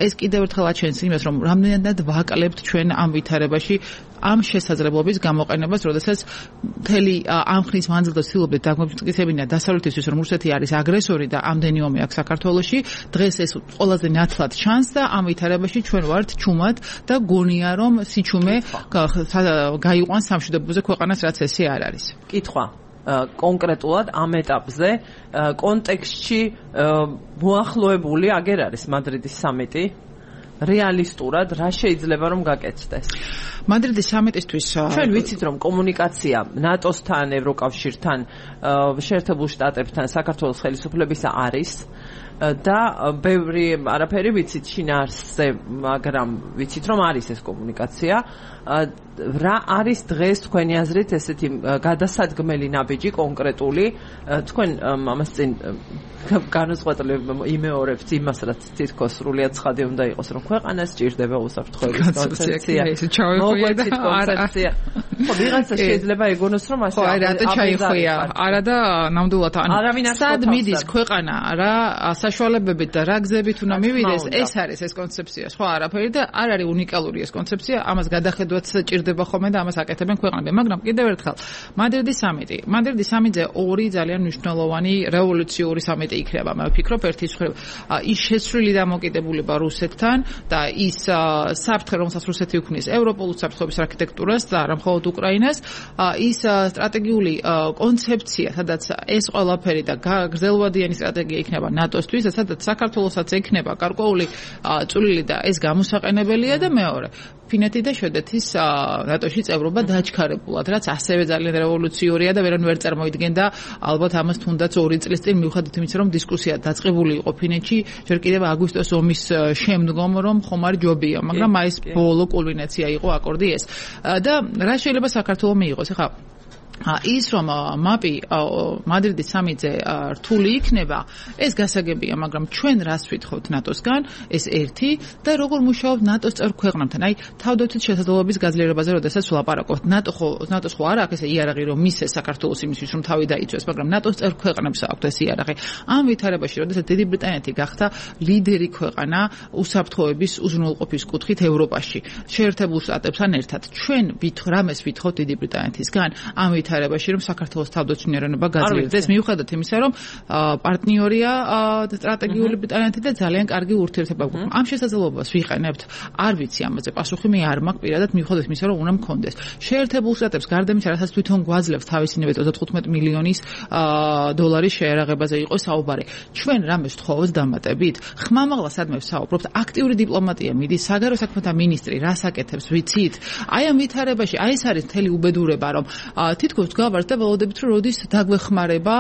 ეს კიდევ ერთხელ აჩვენს იმას რომ რამდენად ვაკლებთ ჩვენ ამ ვითარებაში ამ შესაძლებლობის გამოყენებას როდესაც მთელი ამ ხნის მანძილზე ცდილობდით დაგვემტკიცებინა დასავლეთისთვის რომ რუსეთი არის აგრესორი და ამდენი ომი აქვს საქართველოში დღეს ეს ყველაზე ნათლად ჩანს და ამ ვითარებაში ჩვენ ვართ ჩუმად და გონია რომ სიჩუმე გაიყვანს სამშვიდობოზე ქვეყანას რაც ესე არ არის კითხვა კონკრეტულად ამ ეტაპზე კონტექსტში მოახლოებული აგერ არის მადრიდის სამიტი რეალისტურად რა შეიძლება რომ გაკეთდეს მადრიდის სამიტისთვის ჩვენ ვიცით რომ კომუნიკაცია ნატოსთან ევროკავშირთან შეერთებულ შტატებთან საქართველოს ხელისუფლებისა არის და ბევრი არაფერი ვიცით შინაარსზე მაგრამ ვიცით რომ არის ეს კომუნიკაცია რა არის დღეს თქვენი აზრით ესეთი გადასადგმელი ნაბიჯი კონკრეტული თქვენ ამას წინ განუწყვეტლებ იმეორებთ იმას რაც თითქოს სრულიად ცხადი უნდა იყოს რომ ქვეყანას სჭირდება უსაფრთხოების კონცეფცია მოგვეცით კონცეფცია ხო ვიღაცა შეიძლება ეგონოს რომ ასე რატო ჩაიხვია არა და ნამდვილად სად მიდის ქვეყანა რა საშუალებებით და რა გზებით უნდა მივიდეს ეს არის ეს კონცეფცია სხვა არაფერი და არ არის უნიკალური ეს კონცეფცია ამას გადახედვაც ჭირდება ხოლმე და ამას აკეთებენ ქვეყნები მაგრამ კიდევ ერთხელ მადრიდის სამიტზე ორი ძალიან მნიშვნელოვანი რევოლუციური სამიტი იქნება მე ვფიქრობ ერთის მხრივ ის შეცვლილი დამოკიდებულება რუსეთთან და ის საფრთხე რომელსაც რუსეთი უქმნის ევროპულ საფრთხეების არქიტექტურას და არა მხოლოდ უკრაინას ის სტრატეგიული კონცეფცია სადაც ეს ყველაფერი და გრძელვადიანი სტრატეგია იქნება ნატოსთვის და სადაც საქართველოსაც ექნება გარკვეული წვლილი და ეს გამოსაყენებელია და მეორე ფინეთი და შვედეთის ნატოში წევრობა დაჩქარებულად რაც ასევე ძალიან რევოლუციურია და ვერანაირ ვერ წარმოიდგენდა ალბათ ამას თუნდაც 2 წლის წინ მიუხედავად იმისა რომ დისკუსია დაწყებული იყო ფინეთში ჯერ კიდევ აგვისტოს ომის შემდგომ რომ ხომ არ ჯობია მაგრამ აი ეს ბოლო კულმინაცია იყო აკორდი ეს და რა შეიძლება საქართველოს მიიღოს ახლა ის რომ მაპი მადრიდის სამიტზე რთული იქნება ეს გასაგებია მაგრამ ჩვენ რას ვითხოვთ ნატოსგან ეს ერთი და როგორ მუშაობთ ნატოს წევრ ქვეყნებთან აი თავდაცვის შესაძლებლობის გაძლიერებაზე როდესაც ვლაპარაკობთ ნატოს ხო არ აქვს ესე იარაღი რომ მისცეს საქართველოს იმისთვის რომ თავი დაიცვეს მაგრამ ნატოს წევრ ქვეყნებს აქვს ეს იარაღი ამ ვითარებაში როდესაც დიდი ბრიტანეთი გახდა ლიდერი ქვეყანა უსაფრთხოების უზრუნველყოფის კუთხით ევროპაში შეერთებულ შტატებთან ერთად ჩვენ რამეს ვითხოვთ დიდი ბრიტანეთისგან ამ ვითარებაში რომ საქართველოს თავდაცვნიერება გაძლიერდეს მიუხედავად იმისა რომ პარტნიორია სტრატეგიული ბრიტანეთი და ძალიან კარგი ურთიერთობა გვაქვს ამ შესაძლებლობას ვიყენებთ არ ვიცი ამაზე პასუხი მე არ მაქვს პირადად მიუხედავად იმისა რომ უნდა მქონდეს შეერთებულ შტატებს გარდა იმისა რასაც თვითონ გვაძლევს თავისინები 35 მილიონის დოლარის შეერაღებაზე იყო საუბარი ჩვენ რამეს თხოვოს დამატებით ხმამაღლა სადმე ვსაუბრობთ აქტიური დიპლომატია მიდის საგარეო საქმეთა მინისტრი რას აკეთებს ვიცით აი ამ ვითარებაში აი ეს არის მთელი უბედურება რომ თითქოს გავართ და ველოდებით რომ როდის დაგვეხმარება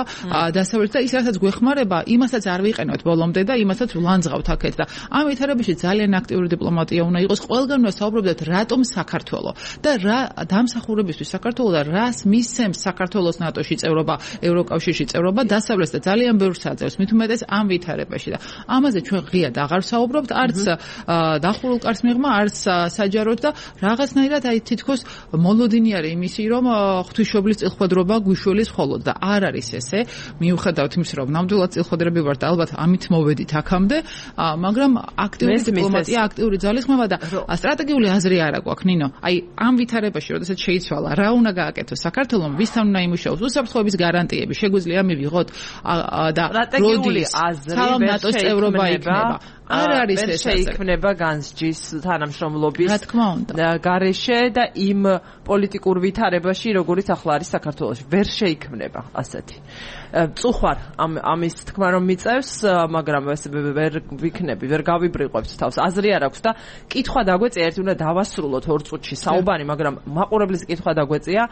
დასავლეთ და ის რასაც გვეხმარება იმასაც არ ვიყენოთ ბოლომდე და იმასაც ვლანძღავთ აქეთ და ამ ვითარებაში ძალიან აქტიური დიპლომატია უნდა იყოს ყველგან უნდა საუბრობდეთ რატომ საქართველო და რა დამსახურებისთვის საქართველო და რას მისცემს საქართველოს ნატოში წევრობა ევროკავშირში წევრობა დასავლეთს და ძალიან ბევრს აძლევს მით უმეტეს ამ ვითარებაში და ამაზე ჩვენ ღიად აღარ ვსაუბრობთ არც დახურულ კარს მიღმა არც საჯაროდ და რაღაცნაირად აი თითქოს მოლოდინი არის იმისი რომ ღვთისმშობლის წილხვედრობა გვიშველის ხოლოდ და არ არის ესე მიუხედავად იმისა რომ ნამდვილად წილხვედრები ვართ ალბათ ამით მოვედით აქამდე მაგრამ აქტიური დიპლომატია აქტიური ძალისხმევა და სტრატეგიული აზრი არა გვაქვს ნინო აი ამ ვითარებაში როდესაც შეიცვალა რა უნდა გააკეთოს საქართველოს ვისთან უნდა იმუშაოს უსაფრთხოების გარანტიები შეგვიძლია მივიღოთ და სტრატეგიული აზრი ნატოს წევრობა იქნება არ არის ეს შეიქმნება განსჯის თანამშრომლობის რა თქმა უნდა გარეშე და იმ პოლიტიკურ ვითარებაში როგორიც ახლა არის საქართველოში ვერ შეიქმნება ასეთი წუხვარ ამის თქმა რომ მიწევს მაგრამ ეს ვერ ვიქნები ვერ გავიბრიყვებთ თავს აზრი არ აქვს და კითხვა დაგვეწია ერთი უნდა დავასრულოთ 2 წუთში საუბარი მაგრამ მაყურებლის კითხვა დაგვეწია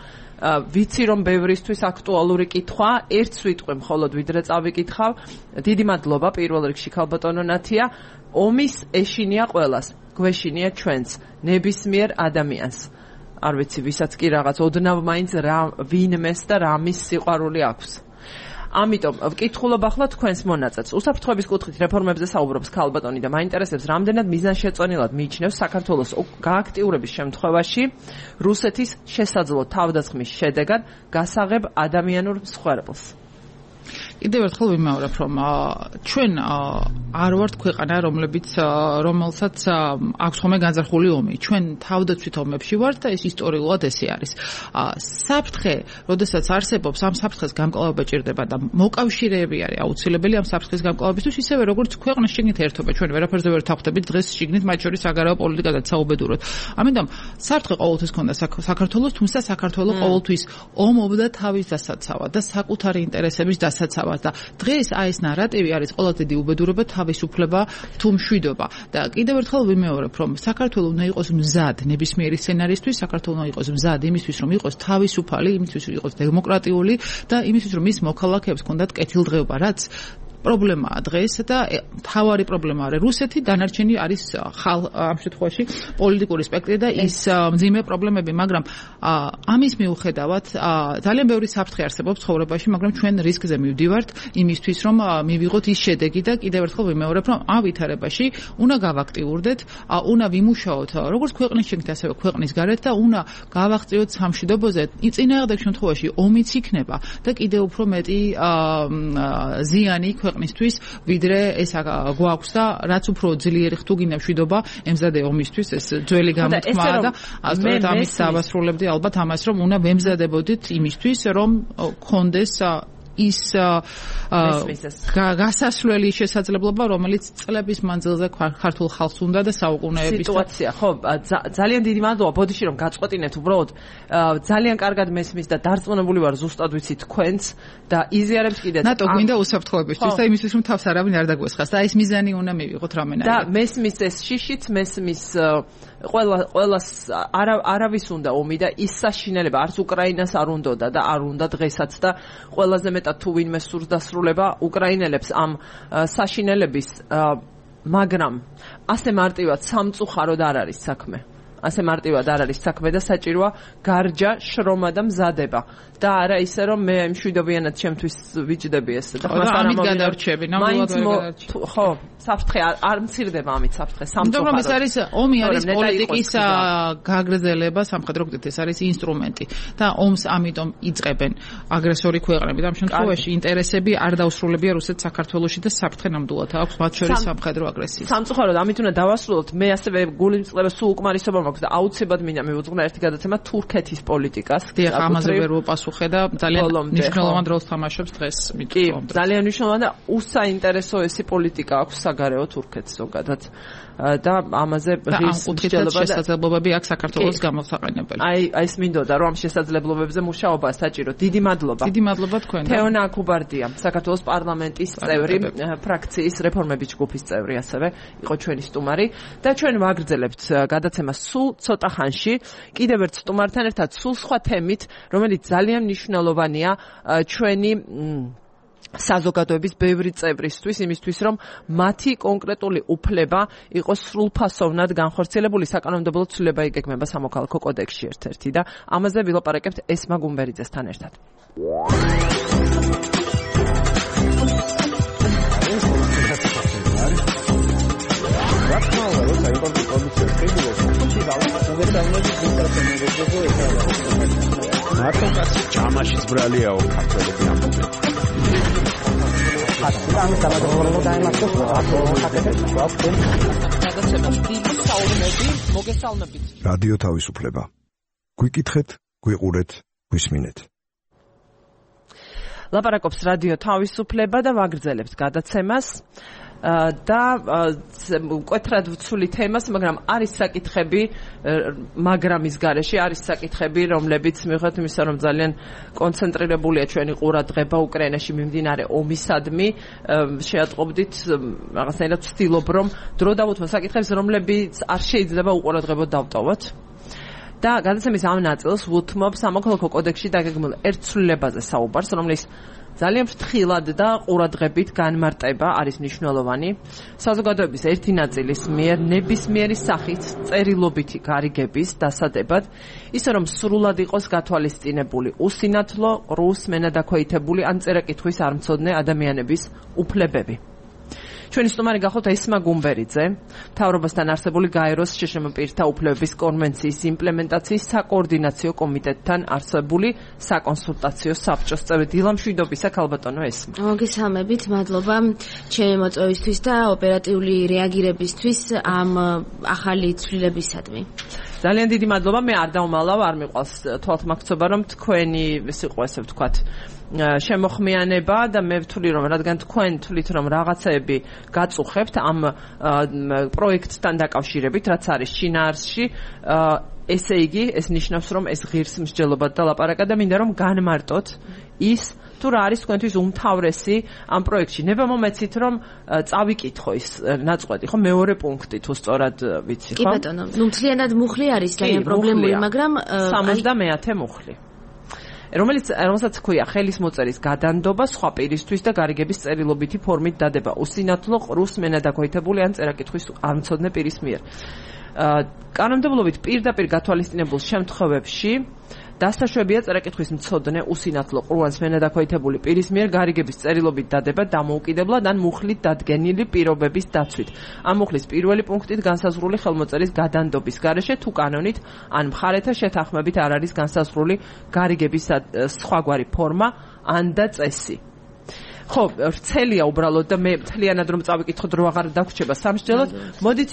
ვიცი რომ ბევრისთვის აქტუალური კითხვა ერთ სიტყვი მხოლოდ ვიდრე წავიკითხავ დიდი მადლობა პირველ რიგში ქალბატონო ნათია ომის ეშინია ყველას გვეშინია ჩვენც ნებისმიერ ადამიანს არ ვიცი ვისაც კი რაღაც ოდნავ მაინც რა ვინმეს და რამის სიყვარული აქვს ამიტომ ვკითხულობ ახლა თქვენს მონაწილეს უსაფრთხოების კუთხით რეფორმებზე საუბრობს ქალბატონი და მაინტერესებს რამდენად მიზანშეწონილად მიიჩნევს საქართველოს გააქტიურების შემთხვევაში რუსეთის შესაძლო თავდასხმის შედეგად გასაღებ ადამიანურ მსხვერპლს კიდევ ერთხელ ვიმეორებ რომ ჩვენ არ ვართ ქვეყანა რომელსაც აქვს ხოლმე განზრახული ომი ჩვენ თავდაცვით ომებში ვართ და ეს ისტორიულად ესე არის საფრთხე როდესაც არსებობს ამ საფრთხეს გამკლავება ჭირდება და მოკავშირეები არის აუცილებელი ამ საფრთხის გამკლავებისთვის ისევე როგორც ქვეყნის შიგნით ერთობა ჩვენ ვერაფერზე ვერ თავხდებით დღეს შიგნით მათ შორის საგარეო პოლიტიკადაც საუბედუროთ ამიტომ საფრთხე ყოველთვის ქონდა საქართველოს თუმცა საქართველო ყოველთვის ომობდა თავის დასაცავად და საკუთარი ინტერესების დასაცავად და დღეს აი ეს ნარატივი არის ყველაზე დიდი უბედურება თავისუფლება თუ მშვიდობა და კიდევ ერთხელ ვიმეორებ რომ საქართველოს უნდა იყოს მზად ნებისმიერი სცენარისთვის საქართველოს უნდა იყოს მზად იმისთვის რომ იყოს თავისუფალი იმისთვის რომ იყოს დემოკრატიული და იმისთვის რომ მის მოქალაქეებს ჰქონდათ კეთილდღეობა რაც პრობლემაა დღეს და თავარი პრობლემა არის რუსეთი დანარჩენი არის ამ შემთხვევაში პოლიტიკური სპექტრი და ის მძიმე პრობლემები მაგრამ ამის მიუხედავად ძალიან ბევრი საფრთხე არსებობს ცხოვრებაში მაგრამ ჩვენ რისკზე მივდივართ იმისთვის რომ მივიღოთ ის შედეგი და კიდევ ერთხელ ვიმეორებ რომ ამ ვითარებაში უნდა გავაქტიურდეთ უნდა ვიმუშაოთ როგორც ქვეყნის შიგნით ასევე ქვეყნის გარეთ და უნდა გავაღწიოთ სამშვიდობოზე წინააღმდეგ შემთხვევაში ომიც იქნება და კიდევ უფრო მეტი ზიანი ქვეყნისთვის ვიდრე ეს გვაქვს და რაც უფრო ძლიერი ხთუ გინდა მშვიდობა ემზადე ომისთვის ეს ძველი გამოთქმაა და ასწორედ ამის დავასრულებდი ალბათ ამას რომ უნდა ვემზადებოდით იმისთვის რომ გქონდეს ის გასასვლელი შესაძლებლობა რომელიც წლების მანძილზე ქართულ ხალხს უნდა და საუკუნეების სიტუაცია ხო ძალიან დიდი მადლობა ბოდიში რომ გაწყვეტინეთ უბრალოდ ძალიან კარგად მესმის და დარწმუნებული ვარ ზუსტად ვიცი თქვენც და იზიარებს კიდეც ნატო გვინდა უსაფრთხოებისთვის და იმისთვის რომ თავს არავინ არ დაგვესხას და ეს მიზანი უნდა მივიღოთ რამენაირად და მესმის ეს შიშიც მესმის ყველას არავის უნდა ომი და ის საშინელება არც უკრაინას არ უნდოდა და არ უნდა დღესაც და ყველაზე მეტად თუ ვინმე სურს დასრულება უკრაინელებს ამ საშინელების მაგრამ ასე მარტივად სამწუხაროდ არ არის საქმე ასე მარტივად არ არის საქმე და საჭიროა გარჯა შრომა და მზადება და არა ისე რომ მე მშვიდობიანად ჩემთვის ვიჯდები ეს და ამით გადარჩები ნამდვილად ხო საფრთხე არ მცირდება ამით საფრთხე სამწუხაროდ მაგრამ ეს არის ომი არის პოლიტიკის გაგრძელება სამხედრო გზით ეს არის ინსტრუმენტი და ომს ამიტომ იწყებენ აგრესორი ქვეყნები და ამ შემთხვევაში ინტერესები არ დაუსრულებია რუსეთს საქართველოში და საფრთხე ნამდვილად აქვს მათ შორის სამხედრო აგრესია სამწუხაროდ ამით უნდა დავასრულოთ მე ასევე გულიმწყება სულ უკმარისობა მაქვს და აუცილებლად მინდა მივუძღვნა ერთი გადაცემა თურქეთის პოლიტიკას. დიახ, ამაზე ვერ ვუპასუხე და ძალიან მნიშვნელოვან როლს თამაშობს დღეს. კი, ძალიან მნიშვნელოვანი და უსაინტერესო ესი პოლიტიკა აქვს საგარეო თურქეთს ზოგადად. და ამაზე ღირს შესაძლებლობები აქვს საქართველოს გამოსაყენებელი. აი ეს მინდოდა რომ ამ შესაძლებლობებზე მუშაობა საჭირო. დიდი მადლობა. დიდი მადლობა თქვენ. თეონა აკუბარდია, საქართველოს პარლამენტის წევრი, ფრაქციის რეფორმების ჯგუფის წევრი ასევე იყო ჩვენი სტუმარი და ჩვენ ვაგრძელებთ გადაცემას სულ ცოტა ხანში. კიდევ ერთ სტუმართან ერთად სულ სხვა თემით, რომელიც ძალიან მნიშვნელოვანია ჩვენი საზოგადოების ბევრი წევრისთვის, იმისთვის რომ მათი კონკრეტული უფლება იყოს სრულფასოვნად განხორციელებული, საკანონმდებლო ცვლილება იგეგმება სამოქალაქო კოდექსში ერთ-ერთი და ამაზე ვილაპარაკებთ ესმა გუმბერიძესთან ერთად. მართლაც ჯამაშიც ბრალიაო ქართველები ამბობენ. რადიო თავისუფლება. გვიკითხეთ, გვიყურეთ, გვისმინეთ. ლაპარაკობს რადიო თავისუფლება და ვაგრძელებთ გადაცემას. და მკვეთრად ვცვლი თემას, მაგრამ არის საკითხები, მაგრამ ის გარეშე არის საკითხები, რომლებიც მიუხედავად იმისა, რომ ძალიან კონცენტრირებულია ჩვენი ყურადღება უკრაინაში მიმდინარე ომისადმი, შეატყობდით რაღაცნაირად ვცდილობ, რომ დრო დავუთმო საკითხებს, რომლებიც არ შეიძლება უყურადღებოდ დავტოვოთ. და გადაცემის ამ ნაწილს ვუთმობ სამოქალაქო კოდექსში დაგეგმილ ერთ ცვლილებაზე საუბარს, რომლის ძალიან ფრთხილად და ყურადღებით განმარტება არის მნიშვნელოვანი. საზოგადოების ერთი ნაწილის მიერ ნებისმიერი სახით წერილობითი გარიგების დასადებად, ისე რომ სრულად იყოს გათვალისწინებული უსინათლო, ყრუს, მენადაქვეითებული ან წერა-კითხვის არ მცოდნე ადამიანების უფლებები. ჩვენი სტუმარი გახოთ ესმა გუმბერიძე, მთავრობასთან არსებული გაეროს შშმ პირთა უფლებების კონვენციის იმპლემენტაციის საკოორდინაციო კომიტეტთან არსებული საკონსულტაციო საბჭოს წევრი. დილამშვიდობისა ქალბატონო ესმა. მოგესალმებით, მადლობა ჩემი მოწვევისთვის და ოპერატიული რეაგირებისთვის ამ ახალი ცვლილებისადმი. ძალიან დიდი მადლობა, მე არ დავმალავ, არ მიყვარს თვალთმაქცობა, რომ თქვენი ეს იყო ესე ვთქვათ შემოხმიანება და მე ვთვლი რომ რადგან თქვენ თვლით რომ რაღაცეები გაწუხებთ ამ პროექტთან დაკავშირებით, რაც არის შინაარსში, ესე იგი ეს ნიშნავს რომ ეს ღირს მსჯელობად და ლაპარაკა და მინდა რომ განმარტოთ ის თუ რა არის თქვენთვის უმთავრესი ამ პროექტში. ნება მომეცით რომ წავიკითხო ის ნაწყვეტი, ხო, მეორე პუნქტი თუ სწორად ვიცი, ხო? კი ბატონო, მთლიანად მუხლი არის, ძალიან პრობლემური, მაგრამ 70-ე მუხლი. რომელსაც ქვია ხელის მოწერის გადანდობა სხვა პირისთვის და გარიგების წერილობითი ფორმით დადება უსინათლო, ყრუს, მენადაქვეითებული ან წერა-კითხვის არ მცოდნე პირის მიერ. კანონმდებლობით პირდაპირ გათვალისწინებულ შემთხვევებში დასაშვებია წერა-კითხვის მცოდნე, უსინათლო, ყრუს, მენადაქვეითებული პირის მიერ გარიგების წერილობით დადება დამოუკიდებლად ან მუხლით დადგენილი პირობების დაცვით. ამ მუხლის პირველი პუნქტით განსაზღვრული ხელმოწერის გადანდობის გარეშე თუ კანონით ან მხარეთა შეთანხმებით არ არის განსაზღვრული გარიგების სხვაგვარი ფორმა ან და წესი. ხო, რცელია უბრალოდ და მე მთლიანად რომ წავიკითხოთ რო აღარ დაგვრჩება სამსჯელოდ, მოდით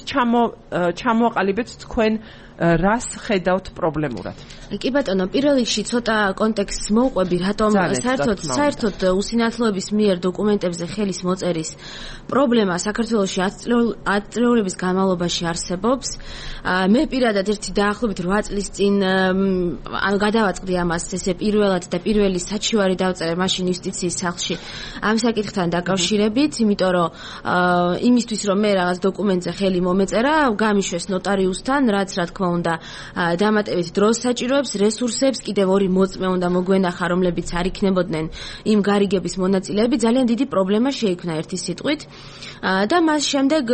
ჩამოაყალიბეთ თქვენ რას ხედავთ პრობლემურად. კი ბატონო, პირველ რიგში ცოტა კონტექსტს მოვყვები, რატომ საერთოდ უსინათლოების მიერ დოკუმენტებზე ხელის მოწერის პრობლემა საქართველოში ათწლეულების განმავლობაში არსებობს. მე პირადად ერთი დაახლოებით 8 წლის წინ გადავაწყდი ამას ესე პირველად და პირველი საჩივარი დავწერე მაშინ იუსტიციის სახლში ამ საკითხთან დაკავშირებით, იმიტომ რომ იმისთვის რომ მე რაღაც დოკუმენტზე ხელი მომეწერა, გამიშვეს ნოტარიუსთან, რაც რა თქმა უნდა დამატებით დროს საჭიროებს, რესურსებს, კიდევ ორი მოწმე უნდა მოგვენახა, რომლებიც არ იქნებოდნენ იმ გარიგების მონაწილეები. ძალიან დიდი პრობლემა შეიქმნა ერთი სიტყვით და მას შემდეგ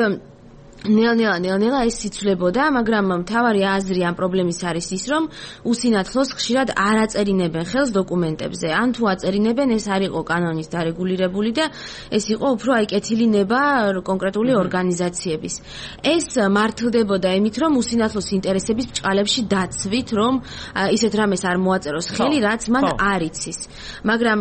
ნელ-ნელა ეს იცვლებოდა, მაგრამ მთავარი აზრი ამ პრობლემის არის ის, რომ უსინათლოს ხშირად არ აწერინებენ ხელს დოკუმენტებზე. ან თუ აწერინებენ, ეს არ იყო კანონის დარეგულირებული და ეს იყო უფრო აი კეთილი ნება კონკრეტული ორგანიზაციების. ეს მართლდებოდა იმით, რომ უსინათლოს ინტერესების ბჭყალებში დაცვით, რომ ისეთ რამეს არ მოაწეროს ხელი, რაც მან არ იცის. მაგრამ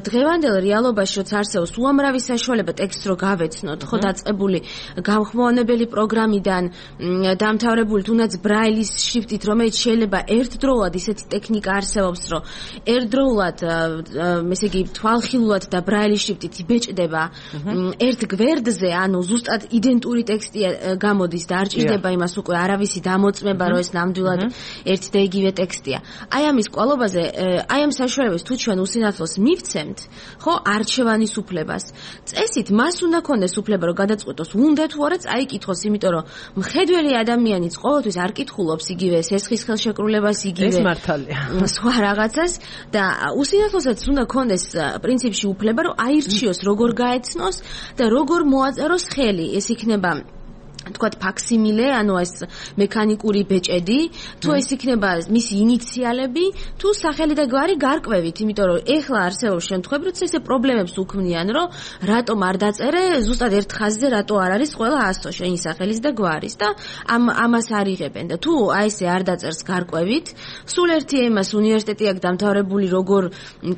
დღევანდელ რეალობაში, როცა არსებობს უამრავი საშუალება ტექსტს რო გავეცნოთ, ხო დაწყებული გამხმოვანებელი წელი პროგრამიდან დამთავრებული თუნდაც ბრაილის შრიფტით, რომელიც შეიძლება ერთდროულად ისეთი ტექნიკა არსებობს, რომ ერთდროულად, ესე იგი, თვალხილულად და ბრაილის შრიფტით იბეჭდება ერთ გვერდზე, ანუ ზუსტად იდენტური ტექსტი გამოდის და არ ჭირდება იმას უკვე არავისი დამოწმება, რომ ეს ნამდვილად ერთი და იგივე ტექსტია. აი ამის კვალობაზე, აი ამ საშუალებას თუ ჩვენ უსინათლოს მივცემთ, ხო, არჩევანის უფლებას. წესით მას უნდა ქონდეს უფლება, რომ გადაწყვეტოს, უნდა თუ არა წაიკითხოს, იმიტომ რომ მხედველი ადამიანიც ყოველთვის არ კითხულობს იგივე სესხის ხელშეკრულებას, იგივე ეს მართალია. სხვა რაღაცას და უსინათლოსაც უნდა ქონდეს პრინციპში უფლება, რომ აირჩიოს, როგორ გაეცნოს და როგორ მოაწეროს ხელი. ეს იქნება თქვათ ფაქსიმილე, ანუ ეს მექანიკური ბეჭედი, თუ ეს იქნება მისი ინიციალები, თუ სახელი და გვარი გარკვევით, იმიტომ რომ ეხლა არსებობს შემთხვევები, როცა ესე პრობლემებს უქმნიან, რომ რატომ არ დაწერე ზუსტად ერთ ხაზზე, რატო არ არის ყველა 100 შენი სახელის და გვარის და ამას არ იღებენ და თუ აი ესე არ დაწერს გარკვევით, სულ ერთი ემას უნივერსიტეტი აქვს დამთავრებული, როგორ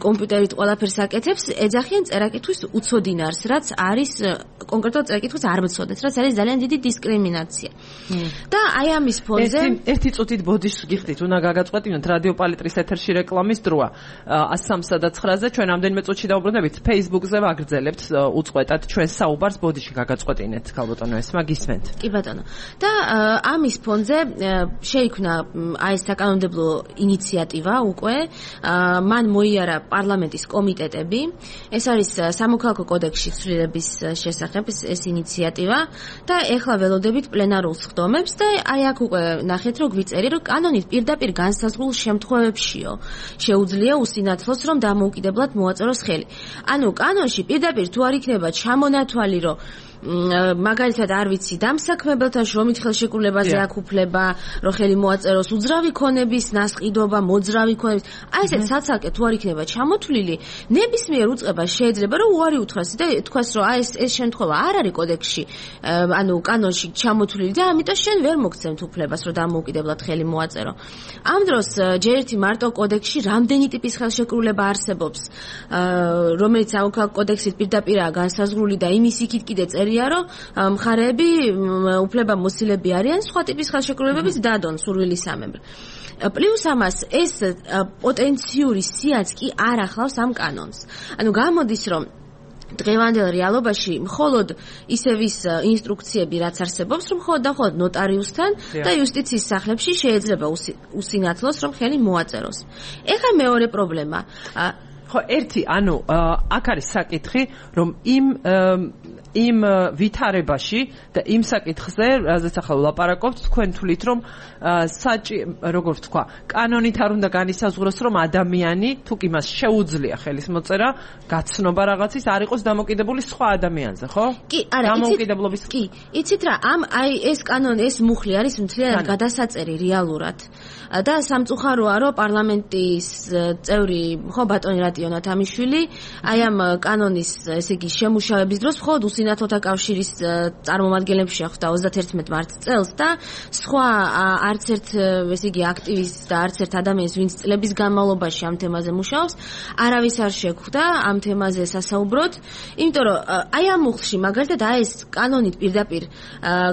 კომპიუტერით ყველაფერს აკეთებს, ეძახიან წერაკითხვის უცოდინარს, რაც არის კონკრეტულად წერაკითხვის არ მცოდნეთ, რაც არის ძალიან დიდი დისკრიმინაცია. და აი ამის ფონზე ერთი წუთით ბოდიშს გიხდით, უნდა გაგაწყვეტინოთ რადიო პალიტრის ეთერში რეკლამის დროა 103-ზე ჩვენ ამდენიმე წუთში დავუბრუნდებით Facebook-ზე ვაგრძელებთ უწყვეტად ჩვენ საუბარს ბოდიში გაგაწყვეტინეთ ქალბატონო ესმა გისმენთ. კი ბატონო. და ამის ფონზე შეიქმნა აი ეს საკანონმდებლო ინიციატივა უკვე მან მოიარა პარლამენტის კომიტეტები. ეს არის სამოქალაქო კოდექსში ცვლილების შესახებ ეს ინიციატივა და ეხლა ველოდებით პლენარულ სხდომებს და აი აქ უკვე ნახეთ რომ გვიწერი რომ კანონით პირდაპირ განსაზღვრულ შემთხვევებშიო შეუძლია უსინათლოს რომ დამოუკიდებლად მოაწეროს ხელი. ანუ კანონში პირდაპირ თუ არ იქნება ჩამონათვალი რომ მაგალითად არ ვიცი დამსაქმებელთან შრომით ხელშეკრულებაზე აქვს უფლება რომ ხელი მოაწეროს უძრავი ქონების ნასყიდობა მოძრავი ქონების აი ესეთ საცალკე თუ არ იქნება ჩამოთვლილი ნებისმიერ უწყებას შეიძლება რომ უარი უთხრას და თქვას რომ აი ეს შემთხვევა არ არის კოდექსში ანუ კანონში ჩამოთვლილი და ამიტომ შენ ვერ მოგცემთ უფლებას რომ დამოუკიდებლად ხელი მოაწერო ამ დროს ჯერ ერთი მარტო კოდექსში რამდენი ტიპის ხელშეკრულება არსებობს რომელიც სამოქალაქო კოდექსით პირდაპირაა განსაზღვრული და იმის იქით კიდე წერია რომ მხარეები უფლება მოსილები არიან სხვა ტიპის ხელშეკრულებების დადონ სურვილისამებრ. პლუს ამას ეს პოტენციური სიაც კი არ ახლავს ამ კანონს. ანუ გამოდის რომ დღევანდელ რეალობაში მხოლოდ ისევის ინსტრუქციები რაც არსებობს რომ მხოლოდ და მხოლოდ ნოტარიუსთან და იუსტიციის სახლებში შეიძლება უსინათლოს რომ ხელი მოაწეროს. ეხლა მეორე პრობლემა ხო ერთი ანუ აქ არის საკითხი რომ იმ ვითარებაში და იმ საკითხზე, რაზეც ახლა ვლაპარაკობთ, თქვენ თვლით, რომ როგორ ვთქვა, კანონით არ უნდა განისაზღვროს, რომ ადამიანი თუ კი მას შეუძლია ხელის მოწერა, გაცნობა რაღაცის არ იყოს დამოკიდებული სხვა ადამიანზე, ხო? კი, არა, დამოუკიდებლობის კი, იცით რა, აი ეს კანონი, ეს მუხლი არის მთლიანად გადასაწერი რეალურად. და სამწუხაროა, რომ პარლამენტის წევრი, ხო, ბატონი რატიო ნათამიშვილი, აი ამ კანონის, ესე იგი, შემუშავების დროს მხოლოდ უსინათლოთა კავშირის წარმომადგენლებს შეხვდა 31 მარტს წელს და სხვა არც ერთ, ესე იგი, აქტივისტს და არც ერთ ადამიანს, ვინც წლების განმავლობაში ამ თემაზე მუშაობს, არავის არ შეხვდა ამ თემაზე სასაუბროდ, იმიტომ რომ აი ამ მუხლში მაგალითად აი ეს კანონით პირდაპირ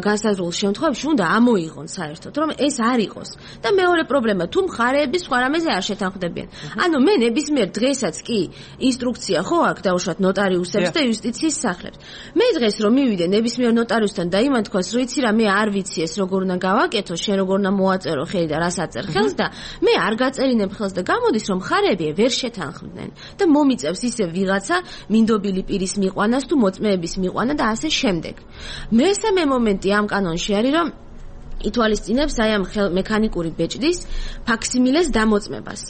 განსაზღვრულ შემთხვევებში უნდა ამოიღონ საერთოდ, რომ ეს არ იყოს. და მეორე პრობლემა, თუ მხარეები სხვა რამეზე არ შეთანხმდებიან. ანუ მე ნებისმიერ დღესაც კი ინსტრუქცია ხო აქვს დაუშვათ ნოტარიუსებს და იუსტიციის სახლებს. მე დღეს რომ მივიდე ნებისმიერ ნოტარიუსთან და იმან თქვას, რომ იცი რა, მე არ ვიცი ეს როგორ უნდა გავაკეთო, შენ როგორ უნდა მოაწერო ხელი და რას აწერ ხელს და მე არ გაწერინებ ხელს და გამოდის რომ მხარეები ვერ შეთანხმდნენ და მომიწევს ისე ვიღაცა მინდობილი პირის მიყვანას თუ მოწმეების მიყვანა და ასე შემდეგ. მესამე მომენტი ამ კანონში არის რომ ითვალისწინებს აი ამ მექანიკური ბეჭდის ფაქსიმილეს დამოწმებას.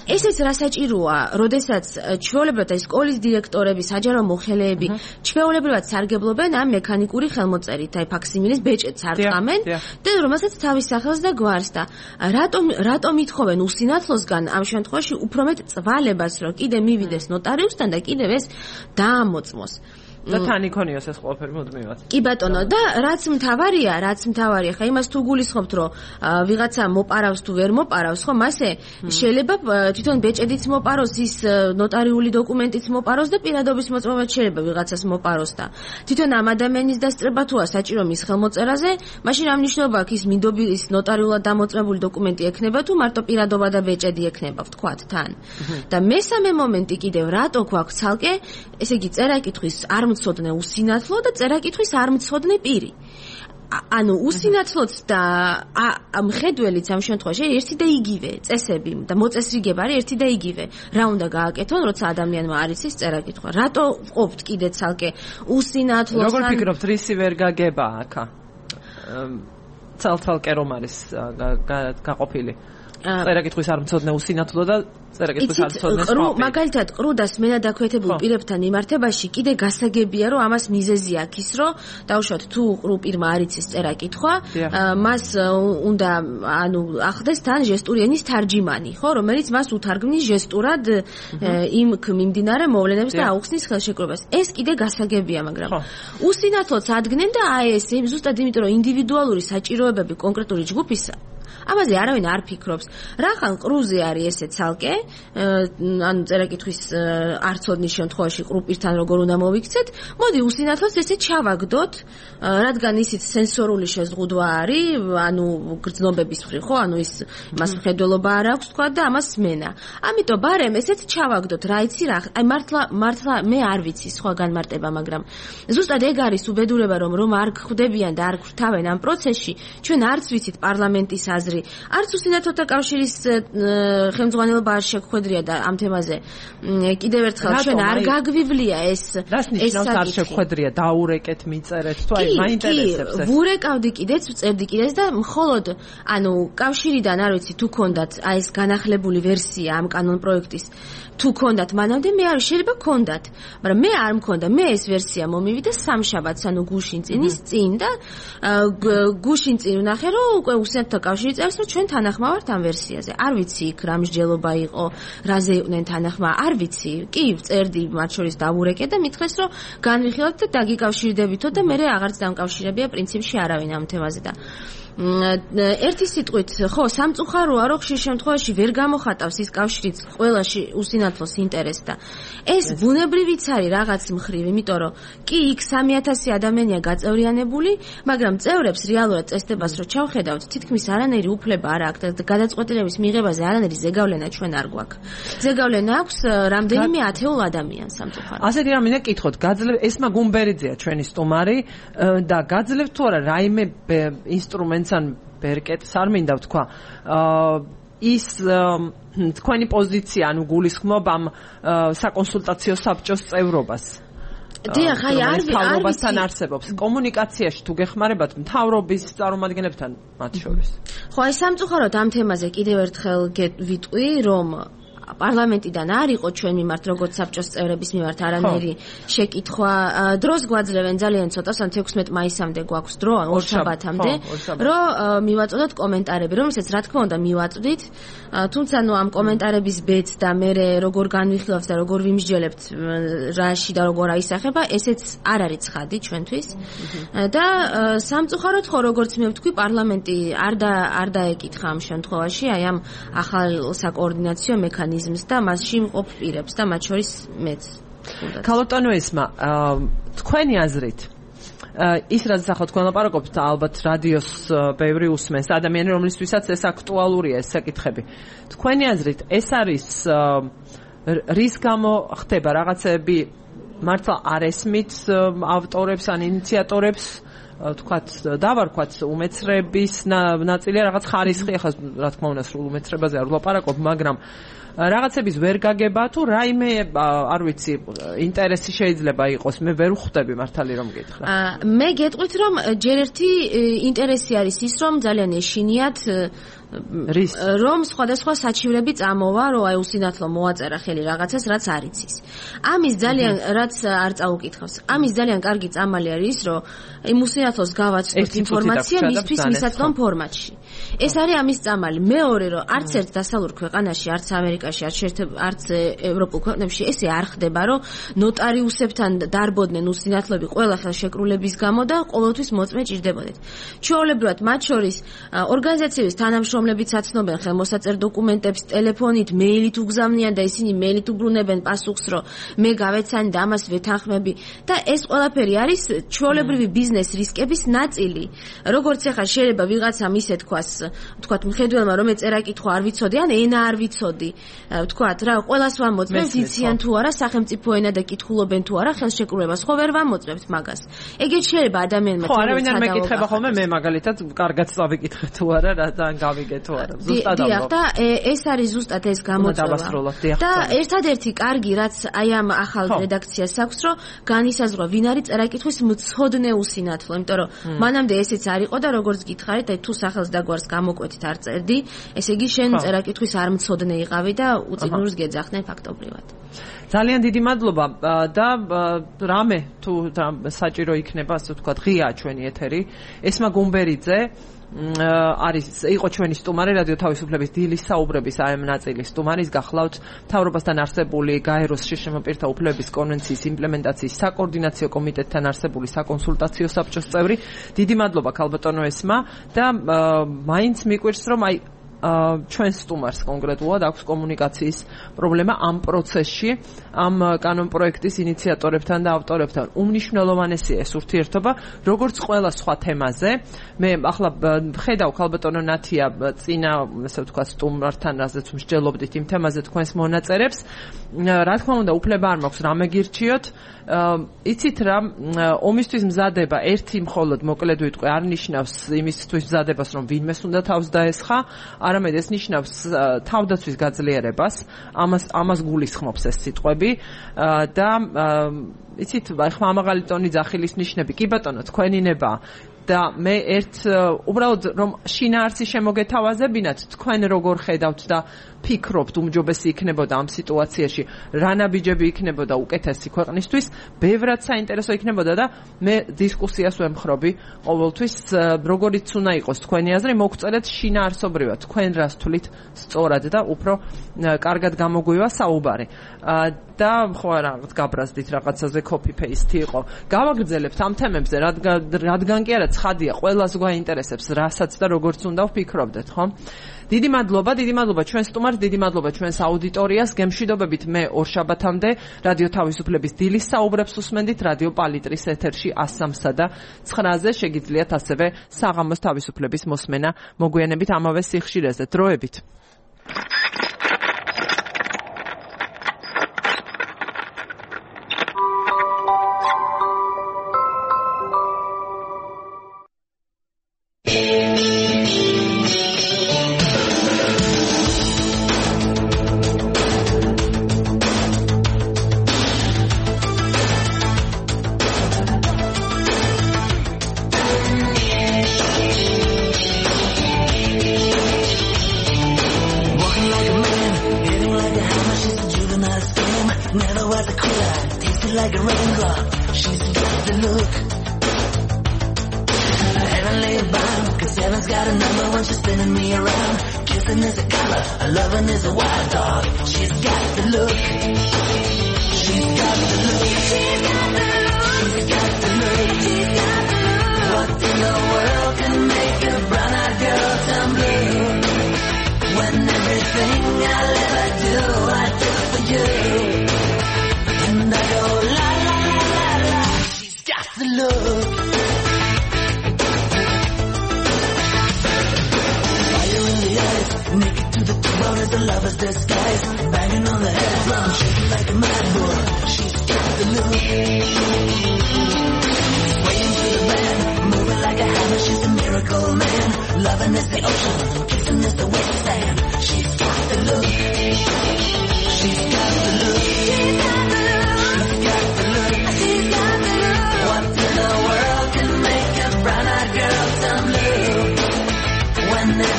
ესეც რა საჭიროა, როდესაც ჩვეულებრივად აი სკოლის დირექტორები, საჯარო მოხელეები ჩვეულებრივად სარგებლობენ ამ მექანიკური ხელმოწერით, აი ფაქსიმილის ბეჭედს არწამენ და რომელსაც თავის სახელს და გვარს და რატომ ითხოვენ უსინათლოსგან ამ შემთხვევაში უფრო მეტ წვალებას, რომ კიდე მივიდეს ნოტარიუსთან და კიდევ ეს დაამოწმოს. და თან იქონიოს ეს ყველაფერი მუდმივად. კი ბატონო, და რაც მთავარია, ხა იმას თუ გულისხმობთ, რომ ვიღაცა მოპარავს თუ ვერ მოპარავს, ხო, მასე შეიძლება თვითონ ბეჭედიც მოპაროს, ის ნოტარიული დოკუმენტიც მოპაროს და პირადობის მოწმობაც შეიძლება ვიღაცას მოპაროს და თვითონ ამ ადამიანის დასწრება თუა საჭირო მის ხელმოწერაზე, მაშინ რა მნიშვნელობა აქვს ის მინდობის ნოტარიულად დამოწმებული დოკუმენტი ექნება თუ მარტო პირადობა და ბეჭედი ექნება, ვთქვათ თან. და მესამე მომენტი კიდევ რატო გვაქვს ცალკე, ესე იგი წერა-კითხვის არ მცოდნე უსინათლო და წერა-კითხვის არ მცოდნე პირი. ანუ უსინათლოც და მხედველიც ამ შემთხვევაში ერთი და იგივე წესები და მოწესრიგება არის ერთი და იგივე. რა უნდა გააკეთონ, როცა ადამიანმა არ იცის წერა-კითხვა? რატო ვყოფთ კიდე ცალკე უსინათლოს? როგორ ფიქრობთ, რისი ვერ გაგება აქა? ცალ-ცალკე რომ არის გაყოფილი? წერა-კითხვის არ მცოდნე usinathlo და წერა-კითხვის არ მცოდნე სხვა. მაგალითად, ყრუდას მენადაქვეთებულ პირებთან მიმართებაში კიდე გასაგებია, რომ ამას მიზეზი აქვს ის, რომ დაუშვათ თუ ყრუ პირმა არ იცის წერა-კითხვა, მას უნდა ახდეს თან ჟესტური ენის თარჯიმანი, ხო, რომელიც მას უთარგმნის ჟესტურად იმ მიმდინარე მოვლენებს და აუხსნის ხელშეკრულებას. ეს კიდე გასაგებია, მაგრამ usinathlots ადგენენ და აი ეს ზუსტად იმიტომ, რომ ინდივიდუალური საჭიროებები კონკრეტული ჯგუფისა ამაზე არავინ არ ფიქრობს. რახან ყრუზე არის ესე ცალკე, ანუ წერა-კითხვის არცოდნის შემთხვევაში ყრუ პირთან როგორ უნდა მოვიქცეთ, მოდი usinathlos ესე ჩავაგდოთ, რადგან ისიც სენსორული შეზღუდვა არის, ანუ გრძნობების მხრივ, ხო, ანუ ის მას მხედველობა არ აქვს თქვა და ამას სმენა. ამიტომ ბარემ ესეც ჩავაგდოთ, რა იცი რა, აი მართლა მე არ ვიცი სხვა განმარტება, მაგრამ ზუსტად ეგ არის უბედურება, რომ არ ხვდებიან და არ ხვთავენ ამ პროცესში, ჩვენ არც ვიცით პარლამენტის აზრი, არც usinathloთა კავშირის ხელმძღვანელობა არ შეგვხვედრია და ამ თემაზე კიდევ ერთხელ ჩვენ არ გაგვივლია ეს არ შეგვხვედრია, დაურეკეთ, მიწერეთ, თუ აი მაინტერესებს ეს. ვურეკავდი კიდეც, ვწერდი კიდეც და მხოლოდ ანუ კავშირიდან არ ვიცი თუ ქონდათ აი ეს განახლებული ვერსია ამ კანონ პროექტის თუ ქონდათ მანამდე მე არ შეიძლება ქონდათ, მაგრამ მე არ მქონდა, მე ეს ვერსია მომივიდა სამშაბათს, ანუ გუშინ წინის წინ და გუშინ წინ ვნახე რომ უკვე usinathloთა კავშირი წერს რომ ჩვენ თანახმავართ ამ ვერსიაზე. არ ვიცი იქ რა მსჯელობა იყო, რაზე იყვნენ თანახმა, არ ვიცი. კი, წერდი მათ შორის დავურეკე და მithეს რომ განვიხილავთ და დაგიკავშირდებითო და მე აღარც დამკავშირებია პრინციპში არავინ ამ თემაზე და ერთი სიტყვით, ხო, სამწუხაროა, რომ ხშირ შემთხვევაში ვერ გამოხატავს ის კავშირიც ყველაში usinathlos ინტერესს და ეს ბუნებრივიც არის რაღაც მხრივ, იმიტომ რომ კი იქ 3000 ადამიანია გაწევრიანებული, მაგრამ წევრებს რეალურად წესდებას რო ჩავხედავთ, თითქმის არანაირი უფლება არ აქვს და გადაწყვეტილების მიღებაზე არანაირი ზეგავლენა ჩვენ არ გვაქვს. ზეგავლენა აქვს რამდენიმე ათეულ ადამიანს სამწუხაროდ. ასეთი რამ მინდა გითხოთ, ეს მაგუმბერიძეა ჩვენი სტუმარი და გაძლევთ თუ არა რაიმე ინსტრუმენტს ან ბერკეტს არ მინდა ვთქვა ის თქვენი პოზიცია ანუ გულისხმობ ამ საკონსულტაციო საბჭოს წევრობას დიახ, აი არ მთავრობასთან არსებობს კომუნიკაციაში თუ გეხმარებათ მთავრობის წარმომადგენლებთან მათ შორის. ხო, აი სამწუხაროდ ამ თემაზე კიდევ ერთხელ ვიტყვი, რომ პარლამენტიდან არ იყო ჩვენ მიმართ როგორც საბჭოს წევრების მიმართ არანაირი შეკითხვა. დროს გვაძლევენ ძალიან ცოტა, 16 მაისამდე გვაქვს დრო, ორშაბათამდე, რომ მივაწოდოთ კომენტარები, რომელსაც რა თქმა უნდა მივაწვდით, თუმცა ნუ ამ კომენტარების ბედს და მე როგორ განვიხილავთ და როგორ ვიმსჯელებთ რაში და როგორ აისახება, ესეც არ არის ცხადი ჩვენთვის. და სამწუხაროდ ხო როგორც მე ვთქვი, პარლამენტი არ დაეკითხა ამ შემთხვევაში აი ამ ახალ საკოორდინაციო მექანიზმს და მასში მყოფ პირებს და მათ შორის მეც. ქალბატონო ესმა, თქვენი აზრით ის რაც ახლა თქვენ ლაპარაკობთ, ალბათ რადიოს ბევრი უსმენს ადამიანი, რომლისთვისაც ეს აქტუალურია ეს საკითხები. თქვენი აზრით ეს არის რის გამო ხდება რაღაცები მართლა არ ესმით ავტორებს ან ინიციატორებს, თქვათ დავარქვათ უმეცრების ნაწილი რაღაც ხარისხი, ახლა რა თქმა უნდა სრულ უმეცრებაზე არ ვლაპარაკობ, მაგრამ რაღაცების ვერ გაგება თუ რაიმე არ ვიცი ინტერესი შეიძლება იყოს, მე ვერ ვხვდები მართალი რომ გითხრა. მე გეტყვით რომ ჯერ ერთი ინტერესი არის ის რომ ძალიან ეშინიათ რომ სხვადასხვა საჩივრები წამოვა, რომ აი უსინათლო მოაწერა ხელი რაღაცას, რაც არ იცის. ამის ძალიან რაც არ წაუკითხავს. ამის ძალიან კარგი წამალი არის ის, რომ იმ უსინათლოს გავაცნოთ ინფორმაცია მისთვის მისაწვდომ ფორმატში. ეს არის ამის წამალი. მეორე, რომ არც ერთ დასავლურ ქვეყანაში, არც ამერიკაში, არც ევროპულ ქვეყნებში ესე არ ხდება, რომ ნოტარიუსებთან დარბოდნენ უსინათლოები ყველა ხელშეკრულების გამო და ყოველთვის მოწმე ჭირდებოდეთ. ჩვეულებრივად მათ შორის ორგანიზაციების თანამშრომლებიც აცნობენ ხელმოსაწერ დოკუმენტებს ტელეფონით, მეილით უგზავნიან და ისინი მეილით უბრუნებენ პასუხს, რომ მე გავეცანი და ამას ვეთანხმები და ეს ყველაფერი არის ჩვეულებრივი ბიზნეს რისკების ნაწილი. როგორც ახლა შეიძლება ვიღაცამ ისე თქვათ მხედველმა რომ ეწერა კითხვა არ ვიცოდი ან ენა არ ვიცოდი, თქვათ რა, ყველას ვამოწმებთ იციან თუ არა სახელმწიფო ენა და კითხულობენ თუ არა ხელშეკრულებას, ხო ვერ ვამოწმებთ მაგას. ეგეც შეიძლება ადამიანმა ხო, არავინ არ მეკითხება ხოლმე მე მაგალითად კარგად წავიკითხე თუ არა რა და გავიგე თუ არა. ზუსტად ამბობ. და ეს არის ზუსტად ეს გამოწვევა. და ერთადერთი კარგი რაც აი ამ ახალ რედაქციას აქვს, რომ განისაზღვრა ვინ არის წერა-კითხვის მცოდნე უსინათლო, იმიტომ რომ მანამდე ესეც არ იყო და როგორც გითხარით, აი თუ სახელს და გვარს გამოკვეთით არ წერდი, ესე იგი შენ წერა-კითხვის არ მცოდნე იყავი და უწინურს გეძახდნენ ფაქტობრივად. ძალიან დიდი მადლობა და რამე თუ საჭირო იქნება, ასე ვთქვათ, ღიაა ჩვენი ეთერი. ესმა გუმბერიძე იყო ჩვენი სტუმარი რადიო თავისუფლების დილის საუბრების AM ნაწილის სტუმარი. გახლავთ მთავრობასთან არსებული გაეროს შიშრომაპირთა უფლებების კონვენციის იმპლემენტაციის საკოორდინაციო კომიტეტთან არსებული საკონსულტაციო საბჭოს წევრი. დიდი მადლობა ქალბატონო ესმა და მაინც მიყვირს რომ აი ჩვენ სტუმარს კონკრეტულად აქვს კომუნიკაციის პრობლემა ამ პროცესში, ამ კანონპროექტის ინიციატორებთან და ავტორებთან. უმნიშვნელოვანესია ეს ურთიერთობა, როგორც ყველა სხვა თემაზე. მე ახლა ხედავ ქალბატონო ნათია წინა, ასე ვთქვათ, სტუმართან, რაზეც მსჯელობდით იმ თემაზე თქვენს მონაწერებს. რა თქმა უნდა, უფლება არ მაქვს რამე გირჩიოთ. იცით რა, ომისთვის მზადება ერთი მხოლოდ მოკლედ ვიტყვი არ ნიშნავს იმისთვის მზადებას, რომ ვინმეს უნდა თავს დაესხა, არამედ ეს ნიშნავს თავდაცვის გაძლიერებას. ამას გულისხმობს ეს სიტყვები და იცით, ხმა ამაღალი ტონი ძახილის ნიშნები. კი ბატონო, თქვენი ნება და მე უბრალოდ რომ შინაარსი შემოგეთავაზებინათ, თქვენ როგორ ხედავთ და ფიქრობთ უმჯობესი იქნებოდა ამ სიტუაციაში, რა ნაბიჯები იქნებოდა უკეთესი ქვეყნისთვის, ბევრად საინტერესო იქნებოდა და მე დისკუსიას ვემხრობი ყოველთვის, როგორიც უნდა იყოს თქვენი აზრი, მოგწერეთ შინაარსობრივად, თქვენ რას თვლით სწორად და უფრო კარგად გამოგვივა საუბარი. და ხო არა, გაბრაზდით რაღაცაზე copy paste იყო. გავაგრძელებთ ამ თემებზე, რადგან კი არა ცხადია, ყველას გვაინტერესებს, რასაც და როგორც უნდა ვფიქრობდეთ, ხო? დიდი მადლობა ჩვენ სტუმარს, დიდი მადლობა ჩვენს აუდიტორიას. გემშვიდობებით მე ორშაბათამდე რადიო თავისუფლების დილის საუბრებს უსმენდით რადიო პალიტრის ეთერში 103-სა და 9-ზე. შეგიძლიათ ასევე საღამოს თავისუფლების მოსმენა მოგვიანებით ამავე სიხშირეზე. დროებით.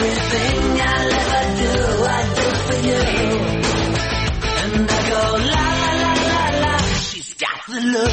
Everything the look.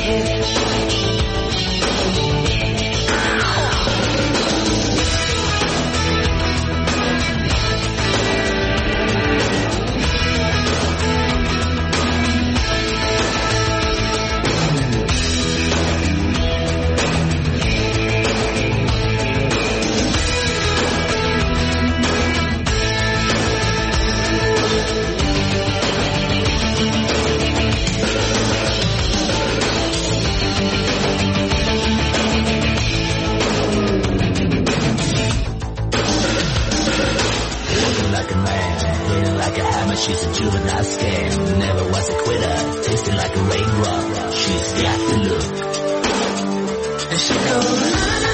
She's a juvenile scam, never was a quitter, tasting like a raindrop. She's got the look. And she goes,